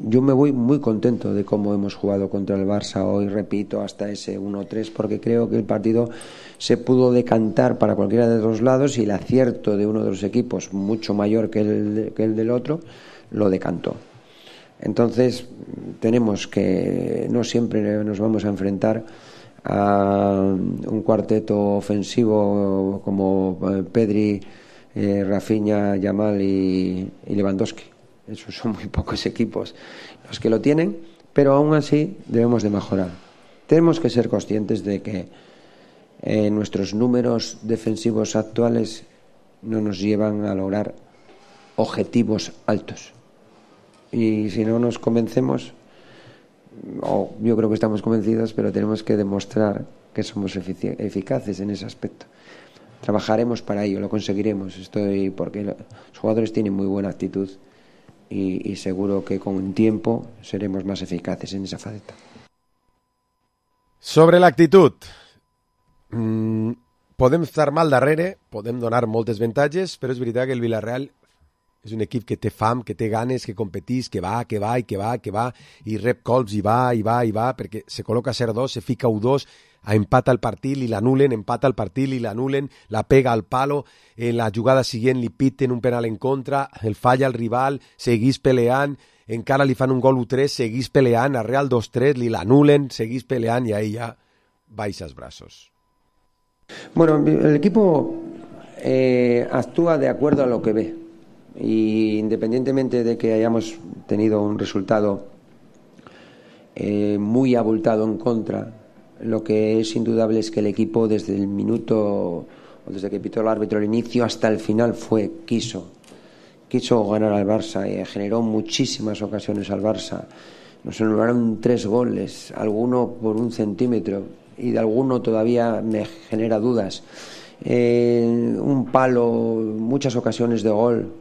yo me voy muy contento de cómo hemos jugado contra el Barça hoy, repito, hasta ese uno tres, porque creo que el partido se pudo decantar para cualquiera de los lados y el acierto de uno de los equipos, mucho mayor que el, que el del otro, lo decantó. Entonces tenemos que no siempre nos vamos a enfrentar a un cuarteto ofensivo como Pedri, eh, Rafinha, Yamal y, y Lewandowski. Esos son muy pocos equipos los que lo tienen, pero aún así debemos de mejorar. Tenemos que ser conscientes de que eh, nuestros números defensivos actuales no nos llevan a lograr objetivos altos. Y si no nos convencemos, o yo creo que estamos convencidos, pero tenemos que demostrar que somos efic- eficaces en ese aspecto. Trabajaremos para ello, lo conseguiremos, estoy porque los jugadores tienen muy buena actitud y, y seguro que con tiempo seremos más eficaces en esa faceta. Sobre l'actitud, mm, podem estar mal darrere, podem donar moltes avantatges, però és veritat que el Villarreal és un equip que té fam, que té ganes, que competís, que va, que va, i que va, que va, i rep colps, i va, i va, i va, perquè se col·loca a zero dos, se fica u dos, empata el partit, li l'anulen, empata el partit, li l'anulen, la pega al palo, en la jugada següent li piten un penal en contra, el falla el rival, seguís peleant, encara li fan un gol u tres, seguís peleant, al Real dos tres, li l'anulen, seguís peleant, i ahí ja baixa els braços. Bueno, el equipo eh, actúa de acuerdo a lo que ve. Y independientemente de que hayamos tenido un resultado eh, muy abultado en contra, lo que es indudable es que el equipo desde el minuto o desde que pitó el árbitro al inicio hasta el final fue quiso quiso ganar al Barça y generó muchísimas ocasiones al Barça. Nos anularon tres goles, alguno por un centímetro y de alguno todavía me genera dudas. Eh, un palo, muchas ocasiones de gol.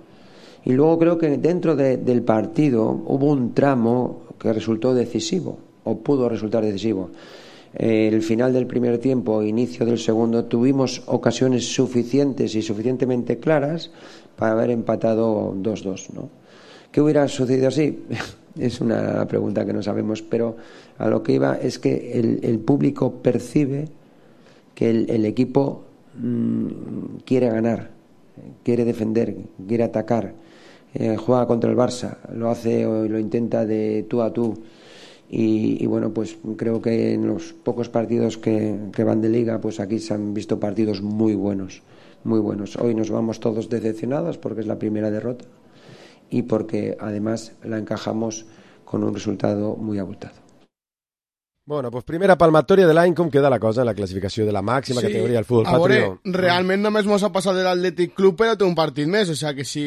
Y luego creo que dentro de, del partido hubo un tramo que resultó decisivo, o pudo resultar decisivo. Eh, el final del primer tiempo, inicio del segundo, tuvimos ocasiones suficientes y suficientemente claras para haber empatado dos dos, ¿no? ¿Qué hubiera sucedido así? Es una pregunta que no sabemos, pero a lo que iba es que el, el público percibe que el, el equipo mmm, quiere ganar, quiere defender, quiere atacar. Eh, juega contra el Barça, lo hace o lo intenta de tú a tú y, y bueno, pues creo que en los pocos partidos que, que van de liga, pues aquí se han visto partidos muy buenos, muy buenos. Hoy nos vamos todos decepcionados porque es la primera derrota y porque además la encajamos con un resultado muy abultado. Bueno, pues primera palmatoria de l'any, com queda la cosa en la classificació de la màxima sí. categoria del futbol patrio? A veure, realment només mos ha passat de l'Atlètic Club, però té un partit més, o sigui que si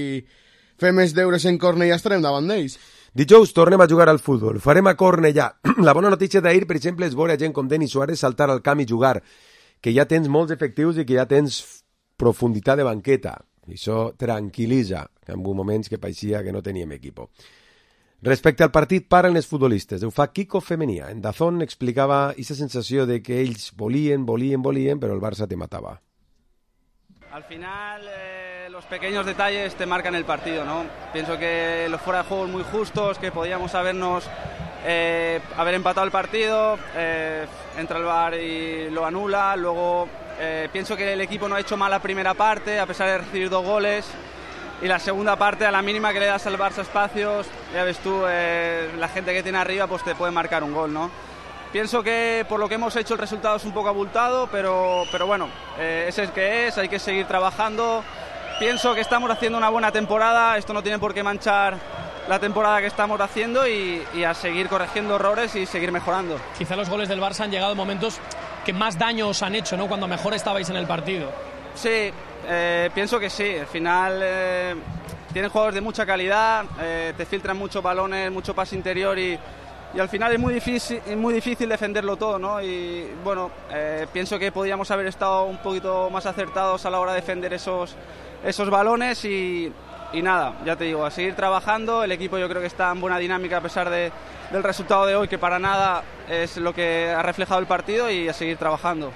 fem els deures en Cornellà estarem davant d'ells. Dijous tornem a jugar al futbol, farem a Cornellà. La bona notícia d'ahir, per exemple, és veure gent com Denis Suárez saltar al camp i jugar, que ja tens molts efectius i que ja tens profunditat de banqueta. I això tranquil·litza, en moments que pareixia que no teníem equipo. Respecte al partit, paren els futbolistes. Ho fa Kiko Femenia. En Dazón explicava aquesta sensació de que ells volien, volien, volien, però el Barça te matava. Al final, eh, los pequeños detalles te marcan el partido, ¿no? Pienso que los fuera de juego muy justos, que podíamos habernos eh, haber empatado el partido, eh, entra el V A R y lo anula. Luego eh, pienso que el equipo no ha hecho mal la primera parte, a pesar de recibir dos goles. Y la segunda parte, a la mínima que le das al Barça espacios, ya ves tú, eh, la gente que tiene arriba pues te puede marcar un gol, ¿no? Pienso que por lo que hemos hecho el resultado es un poco abultado, pero, pero bueno, eh, ese es que es, hay que seguir trabajando. Pienso que estamos haciendo una buena temporada, esto no tiene por qué manchar la temporada que estamos haciendo y, y a seguir corrigiendo errores y seguir mejorando. Quizá los goles del Barça han llegado en momentos que más daño os han hecho, ¿no? Cuando mejor estabais en el partido. Sí, eh, pienso que sí. Al final eh, tienen jugadores de mucha calidad, eh, te filtran muchos balones, mucho pase interior y, y al final es muy difícil, es muy difícil defenderlo todo, ¿no? Y bueno, eh, pienso que podíamos haber estado un poquito más acertados a la hora de defender esos, esos balones y, y nada, ya te digo, a seguir trabajando. El equipo yo creo que está en buena dinámica a pesar de, del resultado de hoy, que para nada es lo que ha reflejado el partido, y a seguir trabajando.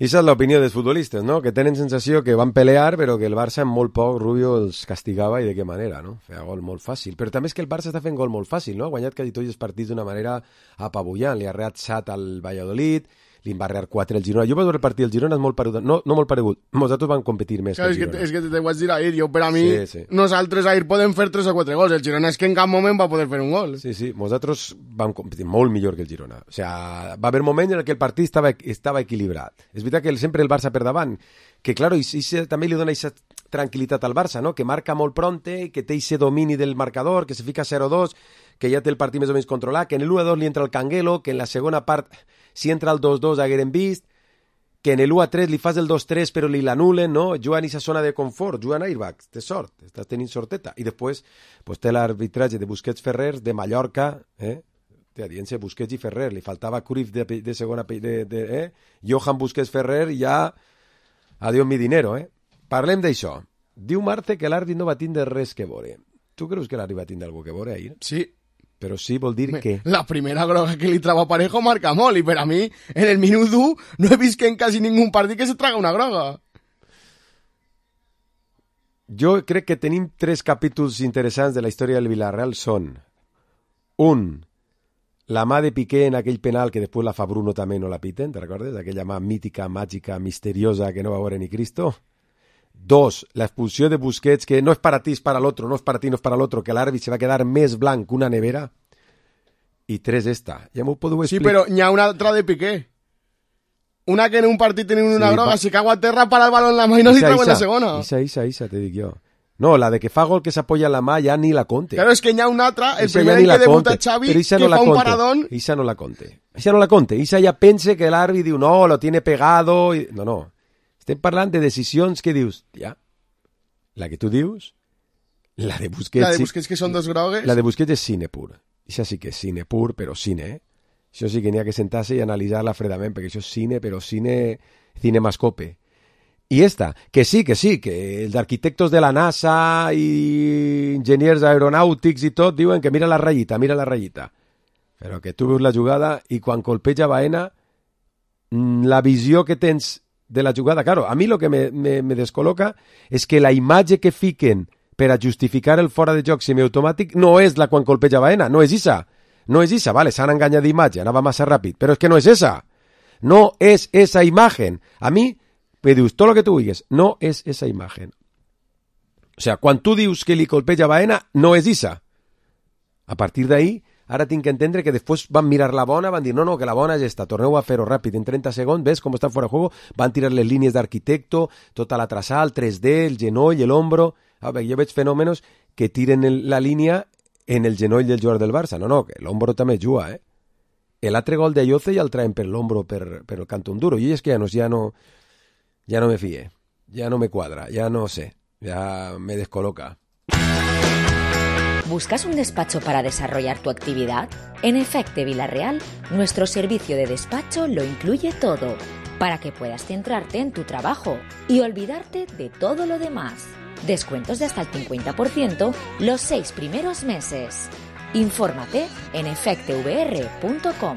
I esa és l'opinió dels futbolistes, no? Que tenen sensació que van pelear, però que el Barça en molt poc Rubio els castigava, i de què manera, no? Feia gol molt fàcil. Però també és que el Barça està fent gol molt fàcil, no? Ha guanyat quasi tots els partits d'una manera apabullant. Li ha reat set al Valladolid, li va rear quatre al Girona. Jo vaig veure el partit del Girona, és molt paregut. No, no molt paregut. Nosaltres van competir més claro, que el Girona. És que, és que te vaig dir ahir, jo per a mi, sí, sí. Nosaltres ahir podem fer tres o quatre gols. El Girona és que en cap moment va poder fer un gol. Sí, sí, nosaltres vam competir molt millor que el Girona. O sea, va haver moments en què el partit estava, estava equilibrat. És veritat que sempre el Barça per davant, que claro, i, i també li dona aquesta tranquil·litat al Barça, no? Que marca molt pronte, que té aquest domini del marcador, que se fica zero dos, que ja té el partit més o menys controlat, que en l'u a dos li entra el Canguelo, que en la segona part, si entra el dos dos hagueren vist, que en l'u a tres li fas el dos tres però li l'anulen, no? Jugant a aquesta zona de confort, jugant a airbag, té sort, estàs tenint sorteta. I després pues, té l'arbitratge de Busquets Ferrer, de Mallorca, eh? Té adiència Busquets i Ferrer, li faltava Cruyff de, de segona, de, de, eh? Johan Busquets Ferrer, ja adiós mi dinero, eh? Parlem d'això. Diu Marte que l'àrbit no va tindre res que veure. Tu creus que l'àrbit va tindre alguna que veure ahir? Sí. Però sí vol dir que... La primera groga que li trava Parejo marca molt, i per a mi, en el minut u, no he vist que en quasi ningú partit que se traga una groga. Jo crec que tenim tres capítols interessants de la història del Villarreal. Són, un, la mà de Piqué en aquell penal que després la fa Bruno també no la piten, te recordes? Aquella mà mítica, màgica, misteriosa que no va veure ni Cristo. Dos, la expulsió de Busquets, que no és para ti, és para l'altre, no és para ti, no és para l'altre, que l'àrbit se va quedar més blanc que una nevera. I tres, esta. Ja m'ho podeu explicar. Sí, però n'hi ha una altra de Piqué. Una que en un partit tenen una sí, groga, pa... si cago a terra, para el balón en la mà i no li treu en la segona. Isa, isa, isa, te dic jo. No, la de que fa gol que s'apoya en la mà ja ni la conte. Claro, és que n'hi ha una altra, el primer en que debuta Xavi, que no fa un conte. Paradón. Isa no la conte. Isa no la conte. Isa ja pense que l'àrbit diu, no, lo tiene pegado. I... No, no. Estem parlant de decisions que dius, ja, la que tu dius, la de Busquets... La de Busquets, que són dos grogues... La de Busquets és cine pur. Això sí que és cine pur, però cine, eh? Això sí que n'hi ha que sentar-se i analitzar-la fredament, perquè això és cine, però cine... cinemascope. I esta, que sí, que sí, que els arquitectos de la NASA i enginyers aeronàutics i tot diuen que mira la ratllita, mira la ratllita. Però que tu veus la jugada i quan colpeja Baena, la visió que tens de la jugada, claro, a mi lo que me, me, me descol·loca és que la imatge que fiquen per a justificar el fora de joc semiautomàtic no és la quan colpeja Baena, no és esa. No és esa, vale, s'han enganyat d'imatge, anava massa ràpid, però és que no és esa. No és esa imagen. A mi, me dius, tot el que tu digues, no és esa imagen. O sea, quan tu dius que li colpeja Baena, no és esa. A partir d'ahí, ara tinc que entendre que després van mirar la bona, van dir, no, no, que la bona és esta, torneu a fer-ho ràpid, en trenta segons, ves com està fora de juego, van tirar les línies d'arquitecto, tota la traçada, el tres D, el genoll, l'hombro... A veure, jo veig fenòmenos que tiren el, la línia en el genoll del jugador del Barça. No, no, que l'hombro també juga, eh? l'altre gol de Ayoce ja el traen per l'ombro per, per el cantón duro. I és que ja no, ja no, ja no me fíe, ya no me cuadra, ya no sé, ya me descoloca. ¿Buscas un despacho para desarrollar tu actividad? En Efecte Villarreal, nuestro servicio de despacho lo incluye todo, para que puedas centrarte en tu trabajo y olvidarte de todo lo demás. Descuentos de hasta el cincuenta por ciento los seis primeros meses. Infórmate en efecte v r punto com.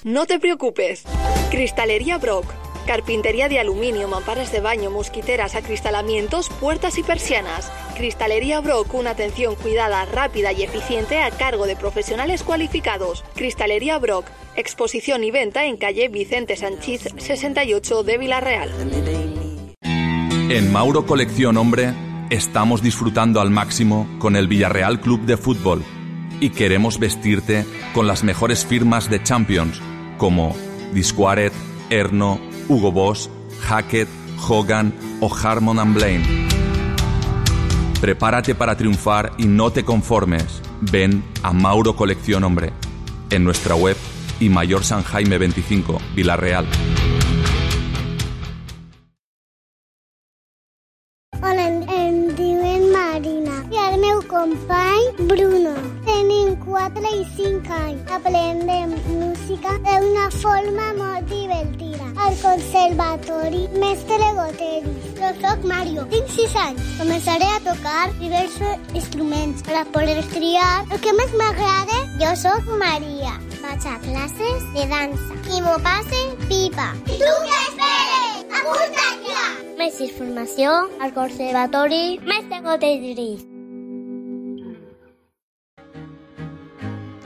No te preocupes. Cristalería Brock. Carpintería de aluminio, mamparas de baño, mosquiteras, acristalamientos, puertas y persianas. Cristalería Brock, una atención cuidada, rápida y eficiente a cargo de profesionales cualificados. Cristalería Brock, exposición y venta en calle Vicente Sanchís sesenta y ocho de Villarreal. En Mauro Colección Hombre estamos disfrutando al máximo con el Villarreal Club de Fútbol y queremos vestirte con las mejores firmas de Champions como Disquaret, Erno, Hugo Boss, Hackett, Hogan o Harmon and Blaine. Prepárate para triunfar y no te conformes. Ven a Mauro Colección Hombre en nuestra web y Mayor San Jaime veinticinco, Villarreal. Hola, em diuen Marina i el meu company Bruno. Tenim quatre i cinc anys. Aprendem música d'una forma molt divertida. Al conservatori Mestre Gotelli. Jo soc Mario, tinc sis anys. Començaré a tocar diversos instruments per a poder triar el que més m'agrada. Jo soc Maria. Vaig a classes de dansa. I m'ho passe pipa. I tu què esperes? Apunta't ja! Més informació al conservatori Mestre Gotelli.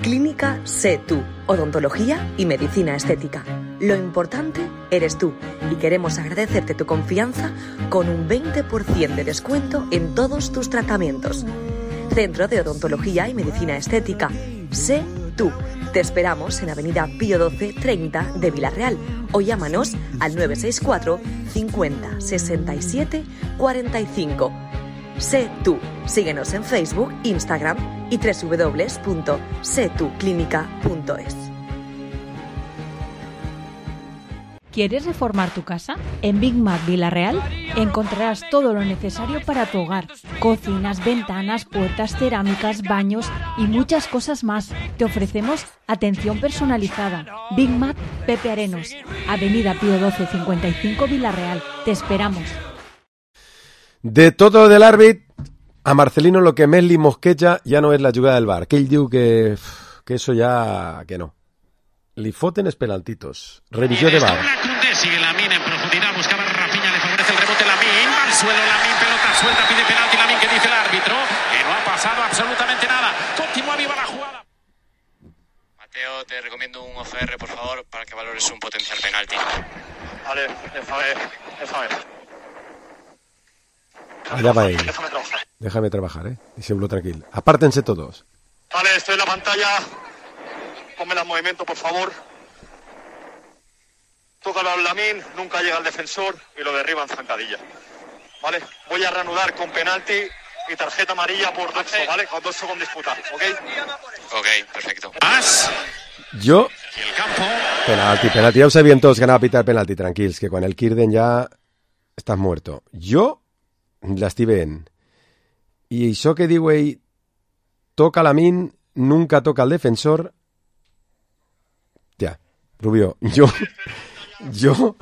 Clínica Sé Tú, odontología y medicina estética. Lo importante eres tú y queremos agradecerte tu confianza con un veinte por ciento de descuento en todos tus tratamientos. Centro de Odontología y Medicina Estética. Sé Tú. Te esperamos en Avenida Pío doce treinta de Villarreal o llámanos al nueve seis cuatro cincuenta sesenta y siete cuarenta y cinco. Sé Tú. Síguenos en Facebook, Instagram y doble u doble u doble u punto sé tú clínica punto es. ¿Quieres reformar tu casa? En Big Mac Villarreal encontrarás todo lo necesario para tu hogar. Cocinas, ventanas, puertas, cerámicas, baños y muchas cosas más. Te ofrecemos atención personalizada. Big Mac Pepe Arenos, Avenida Pío doce cincuenta y cinco Villarreal. Te esperamos. De todo del árbit, a Marcelino lo que més li mosqueja ja no és la jugada del bar, que ell diu que, que eso ya, que no. Li foten els penaltitos. Revisió de bar. Sigue Lamín en profundidad, buscaba Rafinha, le favorece el rebote Lamín, va al suelo Lamín, pelota suelta, pide penalti Lamín, que dice el árbitro, que no ha pasado absolutamente nada, continúa viva la jugada. Mateo, te recomiendo un O C R, por favor, para que valores un potencial penalti. Vale, déjame, déjame. Allá va ell. Déjame trabajar. Déjame trabajar, eh. Diciéndolo tranquilo. Apártense todos. Vale, estoy en la pantalla. Ponme el movimiento, por favor. Tócalo al Lamín, nunca llega al defensor y lo derriba en zancadilla. ¿Vale? Voy a reanudar con penalti y tarjeta amarilla por doxo, ¿vale? Con doxo con disputa, ¿ok? Ok, perfecto. Más. Jo... I el campo... Penalti, penalti. Ja ho sabien tots que anava a pitar penalti, tranquils, que quan el Kirden ja estàs muerto. Jo l'estic veient. I això que diu ell, toca Lamín, nunca toca el defensor... Ja, Rubio, jo... Jo...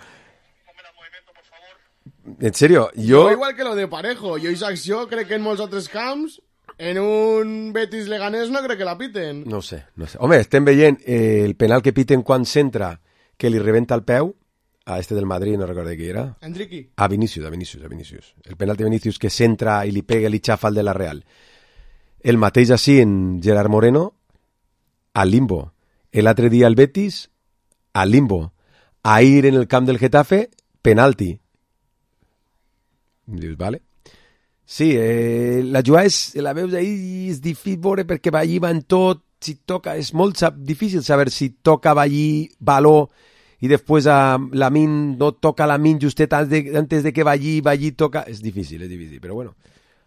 En serio, jo... jo... Igual que lo de Parejo, jo aquesta acció crec que en molts altres camps, en un Betis Leganés no crec que la piten. No sé, no sé. Home, estem veient eh, el penal que piten quan s'entra, que li rebenta el peu, a este del Madrid, no recordo qui era. Enriqui. A Vinicius, a Vinicius, a Vinicius. El penal de Vinicius que s'entra i li pega i li xafa el de la Real. El mateix així en Gerard Moreno, al limbo. L'altre dia el Betis, al limbo. Ahir en el camp del Getafe, penalti. Dius, vale. Sí, eh, la jugada és, la veus ahir, és difícil veure perquè va allí, va en tot, si toca, és molt sab, difícil saber si toca va allí, baló, i després a Lamín no toca Lamín justet antes de, antes de que va allí, va allí, toca, és difícil, és difícil, però bueno,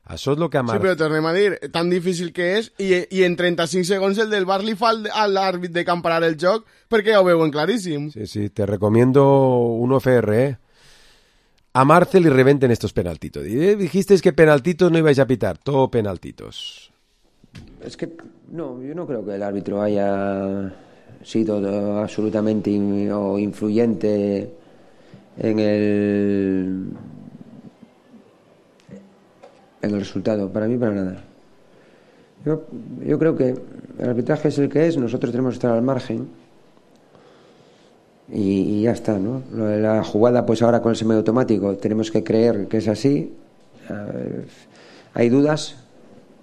Això és el que a Mar... Sí, però tornem a dir, tan difícil que és, i, i en trenta-cinc segons el del Bar li fa al, a l'àrbit de camparar el joc, perquè ja ho veuen claríssim. Sí, sí, te recomiendo un F R, ¿eh? A Marce le reventen estos penaltitos. Eh, dijisteis que penaltitos no ibais a pitar, todo penaltitos. Es que, no, yo no creo que el árbitro haya sido absolutamente in, o influyente en el... en el resultado, para mí para nada. Yo, yo creo que el arbitraje es el que es, nosotros tenemos que estar al margen y, y ya está, ¿no? Lo de la jugada, pues ahora con el semiautomático tenemos que creer que es así. Eh, hay dudas,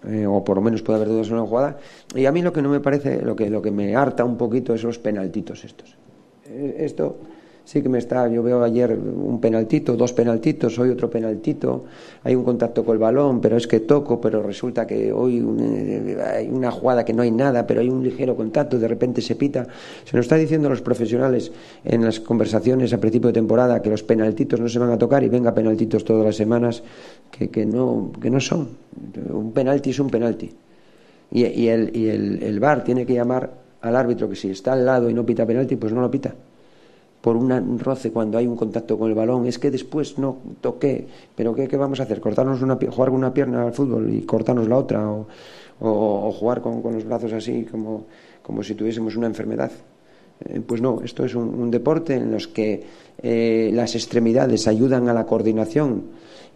eh, o por lo menos puede haber dudas en una jugada, y a mí lo que no me parece, lo que, lo que me harta un poquito es los penaltitos estos. Eh, esto... Sí que me está, yo veo ayer un penaltito, dos penaltitos, hoy otro penaltito, hay un contacto con el balón, pero es que toco, pero resulta que hoy un, hay una jugada que no hay nada, pero hay un ligero contacto, de repente se pita. Se nos está diciendo a los profesionales en las conversaciones a principio de temporada que los penaltitos no se van a tocar y venga penaltitos todas las semanas que, que, no, que no son. Un penalti es un penalti. Y, y, el, y el, el V A R tiene que llamar al árbitro que si está al lado y no pita penalti, pues no lo pita. Por un roce cuando hay un contacto con el balón, es que después no toqué, pero ¿qué, qué vamos a hacer? ¿Cortarnos una, jugar con una pierna al fútbol y cortarnos la otra? ¿O, o, o jugar con, con los brazos así como, como si tuviésemos una enfermedad? Eh, pues no, esto es un, un deporte en los que eh, las extremidades ayudan a la coordinación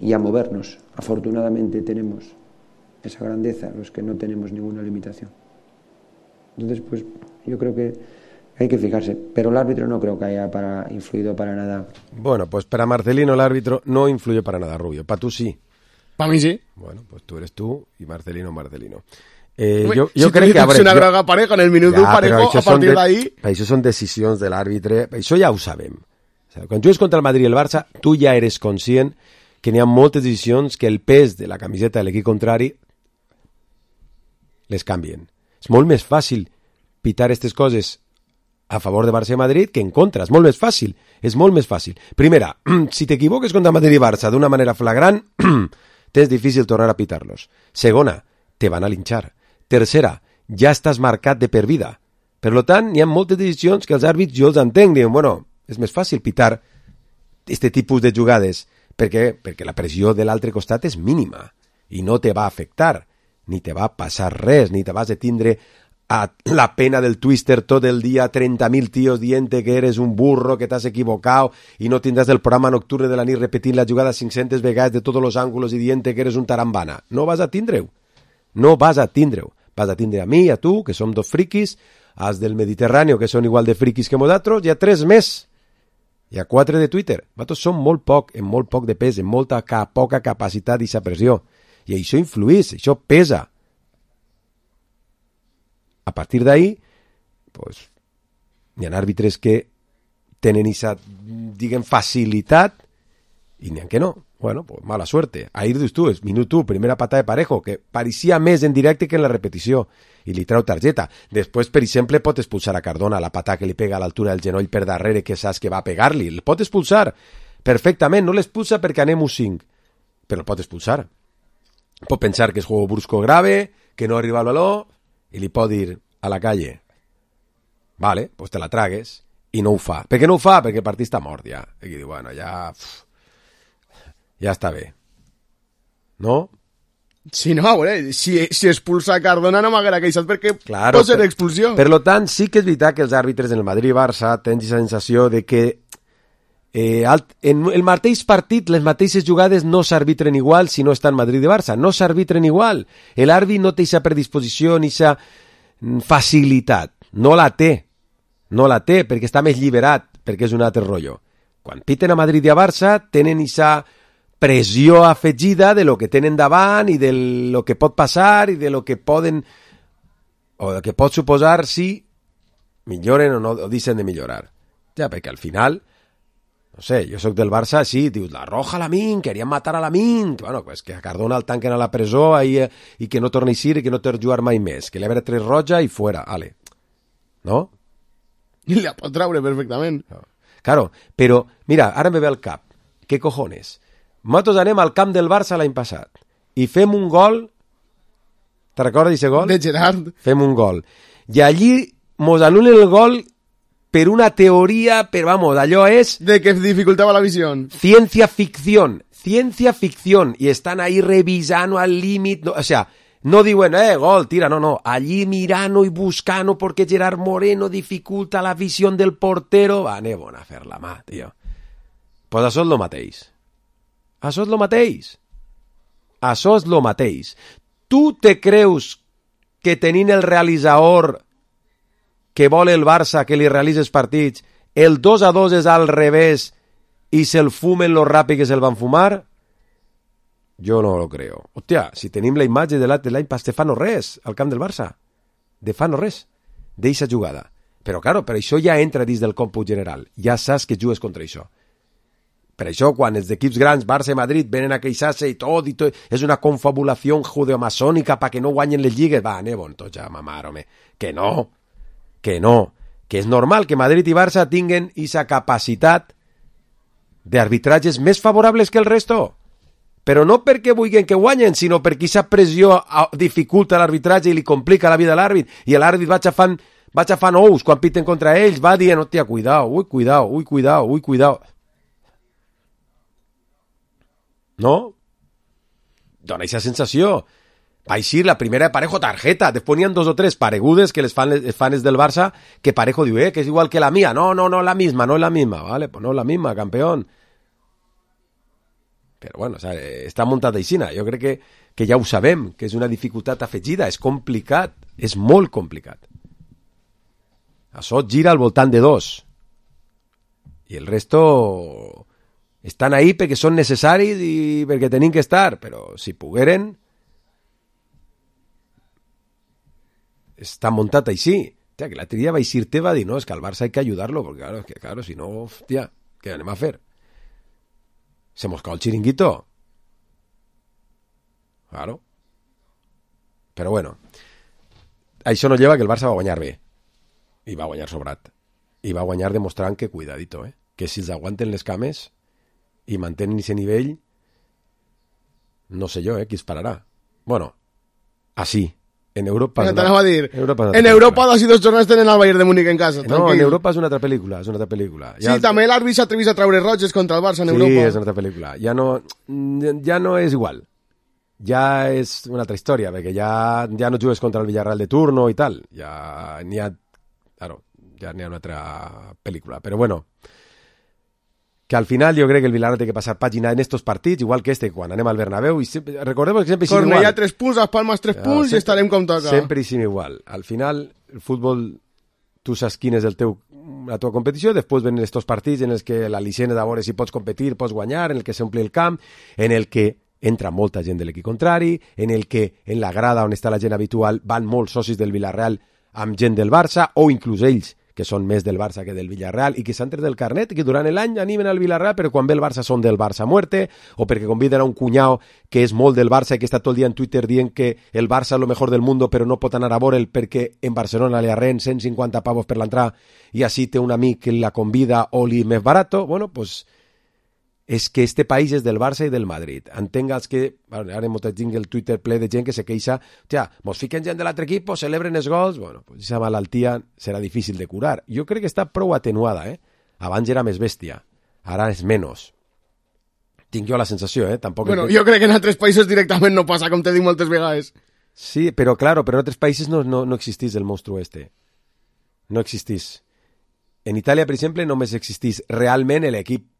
y a movernos. Afortunadamente tenemos esa grandeza, los que no tenemos ninguna limitación. Entonces, pues yo creo que hay que fijarse, pero el árbitro no creo que haya para, influido para nada. Bueno, pues para Marcelino el árbitro no influye para nada, Rubio. Para tú sí. Para mí sí. Bueno, pues tú eres tú y Marcelino Marcelino. Eh, Uy, yo si yo creo que... Es una jo... groga pareja en el minuto ja, parejo, a partir de, d'ahí... Això són decisions de l'àrbitre, això ja ho sabem. O sigui, quan jugues contra el Madrid i el Barça, tu ja eres conscient que n'hi ha moltes decisions que el pes de la camiseta de l'equip contrari les canvien. És molt més fàcil pitar aquestes coses a favor de Barça i Madrid que en contra. És molt més fàcil. És molt més fàcil. Primera, si t'equivoques contra Madrid i Barça d'una manera flagrant, tens difícil tornar a pitar-los. Segona, te van a linxar. Tercera, ja estàs marcat de per vida. Per lo tant, hi ha moltes decisions que els àrbits jo els entenc. Diuen, bueno, és més fàcil pitar este tipus de jugades perquè, perquè la pressió de l'altre costat és mínima i no te va afectar, ni te va passar res, ni te vas a tindre a la pena del twister todo el día, treinta mil tíos diente que eres un burro, que t'has equivocado y no tindràs del programa nocturne de la nit repetint la jugada cinc-centes vegades de todos los ángulos y diente que eres un tarambana. No vas a tindre-ho. No vas a tindre-ho. Vas a tindre a mi, a tu, que som dos friquis, als del Mediterráneo, que són igual de friquis que nosaltres, i a tres més. I a quatre de Twitter. Vosaltres som molt poc, en molt poc de pes, en molta ca poca capacitat i pressió. I això influís, això pesa. A partir d'ahí, pues, hi ha àrbitres que tenen esa, diguem, facilitat i n'hi ha que no. Bueno, pues mala suerte. Ahir dius tu, és minut u, primera patada de Parejo, que pareixia més en directe que en la repetició, i li treu targeta. Després, per exemple, pot expulsar a Cardona la patada que li pega a l'altura del genoll per darrere, que saps que va a pegar-li. El pot expulsar perfectament, no l'expulsa perquè anem u cinc, però el pot expulsar. Pot pensar que és juego brusco grave, que no arriba al baló, i li pot dir a la calle, vale, pues te la tragues, i no ho fa. Per què no ho fa? Perquè el partit està mort ja. I diu, bueno, ja... Uf, ja està bé. No? Sí, no, a veure, si, si expulsa a Cardona no m'haguera queixat perquè claro, pot ser per, expulsió. Per lo tant, sí que és veritat que els àrbitres en el Madrid i Barça tenen la sensació de que eh, en el mateix partit les mateixes jugades no s'arbitren igual si no estan Madrid i Barça, no s'arbitren igual. L'àrbit no té aquesta predisposició ni aquesta facilitat, no la té, no la té perquè està més lliberat, perquè és un altre rotllo. Quan piten a Madrid i a Barça tenen aquesta pressió afegida de lo que tenen davant i de lo que pot passar i de lo que poden o de que pot suposar si milloren o no o deixen de millorar. Ja, perquè al final, no sé, jo sóc del Barça, sí, dius, la roja a Lamine, querían matar a Lamine, bueno, pues que a Cardona el tanquen a la presó ahí, eh, i que no torni a ir i que no torni a jugar mai més, que li habrà tres roja i fuera, ale. ¿No? I la pot traure perfectament. No. Claro, però, mira, ara me ve al cap, què cojones? Nosaltres anem al camp del Barça l'any passat i fem un gol. Te recordes d'aquest gol? De Gerard. Fem un gol. I allí mos anulen el gol per una teoria, però vamos, allò és... De que dificultava la visió. Ciencia ficción, ciencia ficción, y están ahí revisando al límite, no, o sea, no diuen, eh, gol, tira, no, no, allí mirando y buscando porque Gerard Moreno dificulta la visión del portero, va, anem a fer la mà, tio. Pues això és lo mateix. Això és lo mateix. Això és lo mateix. Tu te creus que tenint el realitzador que vol el Barça que li realitzi els partits, el dos a dos és al revés i se'l fumen lo ràpid que se'l van fumar? Jo no lo creo. Hòstia, si tenim la imatge de l'any pas de fa no res al camp del Barça. De fa no res. D'eixa jugada. Però, claro, per això ja entra dins del còmput general. Ja saps que jugues contra això. Per això, quan els equips grans, Barça i Madrid, venen a queixar-se i tot, i tot, és una confabulació judeomasònica perquè no guanyen les lligues. Va, anem, tots ja, mamar, home. Que no, que no. Que és normal que Madrid i Barça tinguen aquesta capacitat d'arbitratges més favorables que el resto. Però no perquè vulguin que guanyen, sinó perquè aquesta pressió dificulta l'arbitratge i li complica la vida a l'àrbit, i l'àrbit va xafant, va xafant ous quan piten contra ells, va dient, hòstia, cuidao, ui, cuidao, ui, cuidao, ui, cuidao. ¿No? Dona esa sensació. Va eixir la primera de Parejo tarjeta, després n'hi ha dos o tres paregudes que les fan els fans del Barça, que Parejo diu, eh, que és igual que la mía. No, no, no la misma, no es la misma. Vale, pues no es la misma, campeón. Però bueno, o sea, està muntat aixina. Jo crec que, que ja ho sabem, que és una dificultat afegida, és complicat, és molt complicat. Això gira al voltant de dos. I el resto... estan ahí perquè són necessaris i perquè tenim que estar, però si pogueren està muntat així. Hòstia, que l'altre dia va eixir-te va dir, no, és que al Barça hay que ayudarlo, porque claro, es que, claro, si no, hòstia, què anem a fer? Se mos cau el chiringuito. Claro. Però bueno, això no lleva que el Barça va guanyar bé, i va guanyar sobrat, i va guanyar demostrant que, cuidadito, eh, que si els aguanten les cames i mantenen ese nivell, no sé jo, eh, qui es pararà. Bueno, así. En Europa... No, t'anava a dir, Europa en Europa dos i dos jornades tenen el Bayern de Múnich en casa. No, tranquil. en Europa és una altra pel·lícula, és una altra pel·lícula. Sí, ja... també l'àrbit s'atrevís a treure roges contra el Barça en sí, Europa. Sí, és una altra pel·lícula. Ja no, ja no és igual. Ja és una altra història, perquè ja, ja no jugues contra el Villarreal de turno i tal. Ja n'hi ha... Claro, ja n'hi ha una altra pel·lícula. Però bueno... que al final jo crec que el Villarreal té que passar pàgina en estos partits, igual que este, quan anem al Bernabéu, i sempre, recordemos que sempre hi Cornellà igual. tres punts, Las Palmas tres punts, no, sempre, i estarem com toca. Sempre hi igual. Al final, el futbol, tu saps quin és el teu, la teva competició, després venen estos partits en els que la licència de veure si pots competir, pots guanyar, en el que s'ompli el camp, en el que entra molta gent de l'equip contrari, en el que en la grada on està la gent habitual van molts socis del Villarreal amb gent del Barça, o inclús ells, que són més del Barça que del Villarreal, i que s'han tret del carnet, i que durant l'any animen al Villarreal, però quan ve el Barça són del Barça a muerte, o perquè conviden a un cunyau que és molt del Barça i que està tot el dia en Twitter dient que el Barça és lo mejor del mundo, però no pot anar a veure'l perquè en Barcelona li arren cent cinquanta pavos per l'entrada, i així té un amic que la convida o li més barato. Bueno, pues és que este país és del Barça i del Madrid. Entengues que, ara hem tingut el Twitter ple de gent que se queixa, hòstia, mos fiquen gent de l'altre equip, celebren els gols, bueno, pues aquesta malaltia serà difícil de curar. Jo crec que està prou atenuada, eh? Abans era més bèstia, ara és menys. Tinc jo la sensació, eh? Tampoc bueno, que... jo crec que en altres països directament no passa, com t'he dit moltes vegades. Sí, però claro, però en altres països no, no, no existís el monstruo este. No existís. En Itàlia, per exemple, només existís realment l'equip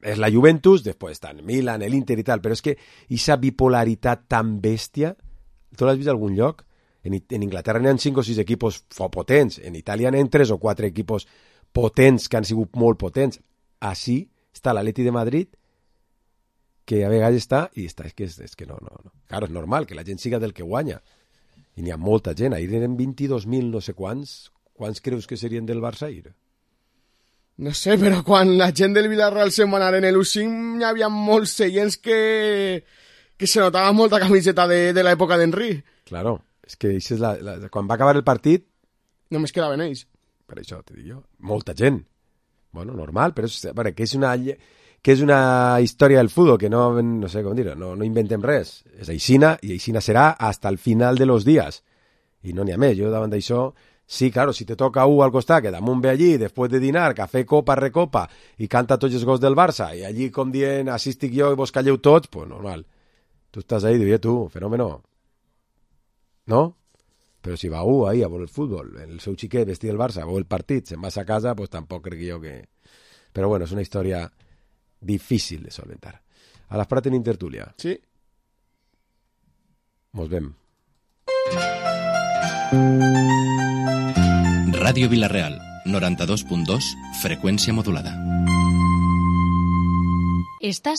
és la Juventus, després està el Milan, l'Inter i tal, però és que aquesta bipolaritat tan bèstia, tu l'has vist a algun lloc? En, en Inglaterra n'hi ha cinc o sis equipos potents, en Itàlia n'hi ha tres o quatre equipos potents que han sigut molt potents. Així està l'Atleti de Madrid, que a vegades està, i està, és que, és, és que no, no, no. Claro, és normal que la gent siga del que guanya. I n'hi ha molta gent, ahir eren vint-i-dos mil no sé quants, quants creus que serien del Barça ahir? No sé, però quan la gent del Villarreal se'n va anar en l'U cinc hi havia molts seients que, que se notava molta camiseta de, de l'època d'Henry. Claro, és que és la, la, quan va acabar el partit... Només quedaven ells. Per això, te dic jo, molta gent. Bueno, normal, però és, veure, que és una... que és una història del futbol, que no, no sé com dir-ho, no, no inventem res. És aixina, i aixina serà hasta el final de los días. I no n'hi ha més. Jo davant d'això, sí, claro, si te toca un al costat, que damunt ve allí, després de dinar, cafè, copa, recopa, i canta tots els gols del Barça, i allí com dient, així estic jo i vos calleu tots, pues normal. Tu estàs ahí, diria tu, fenòmeno. No? Però si va un ahí a veure el futbol, el seu xiquet vestit del Barça, veu el partit, se'n vas a casa, pues tampoc crec jo que... Però bueno, és una història difícil de solventar. A les Prat en Intertúlia. Sí. Mos vem. Ràdio Vila-real, noranta-dos punt dos, freqüència modulada. Estàs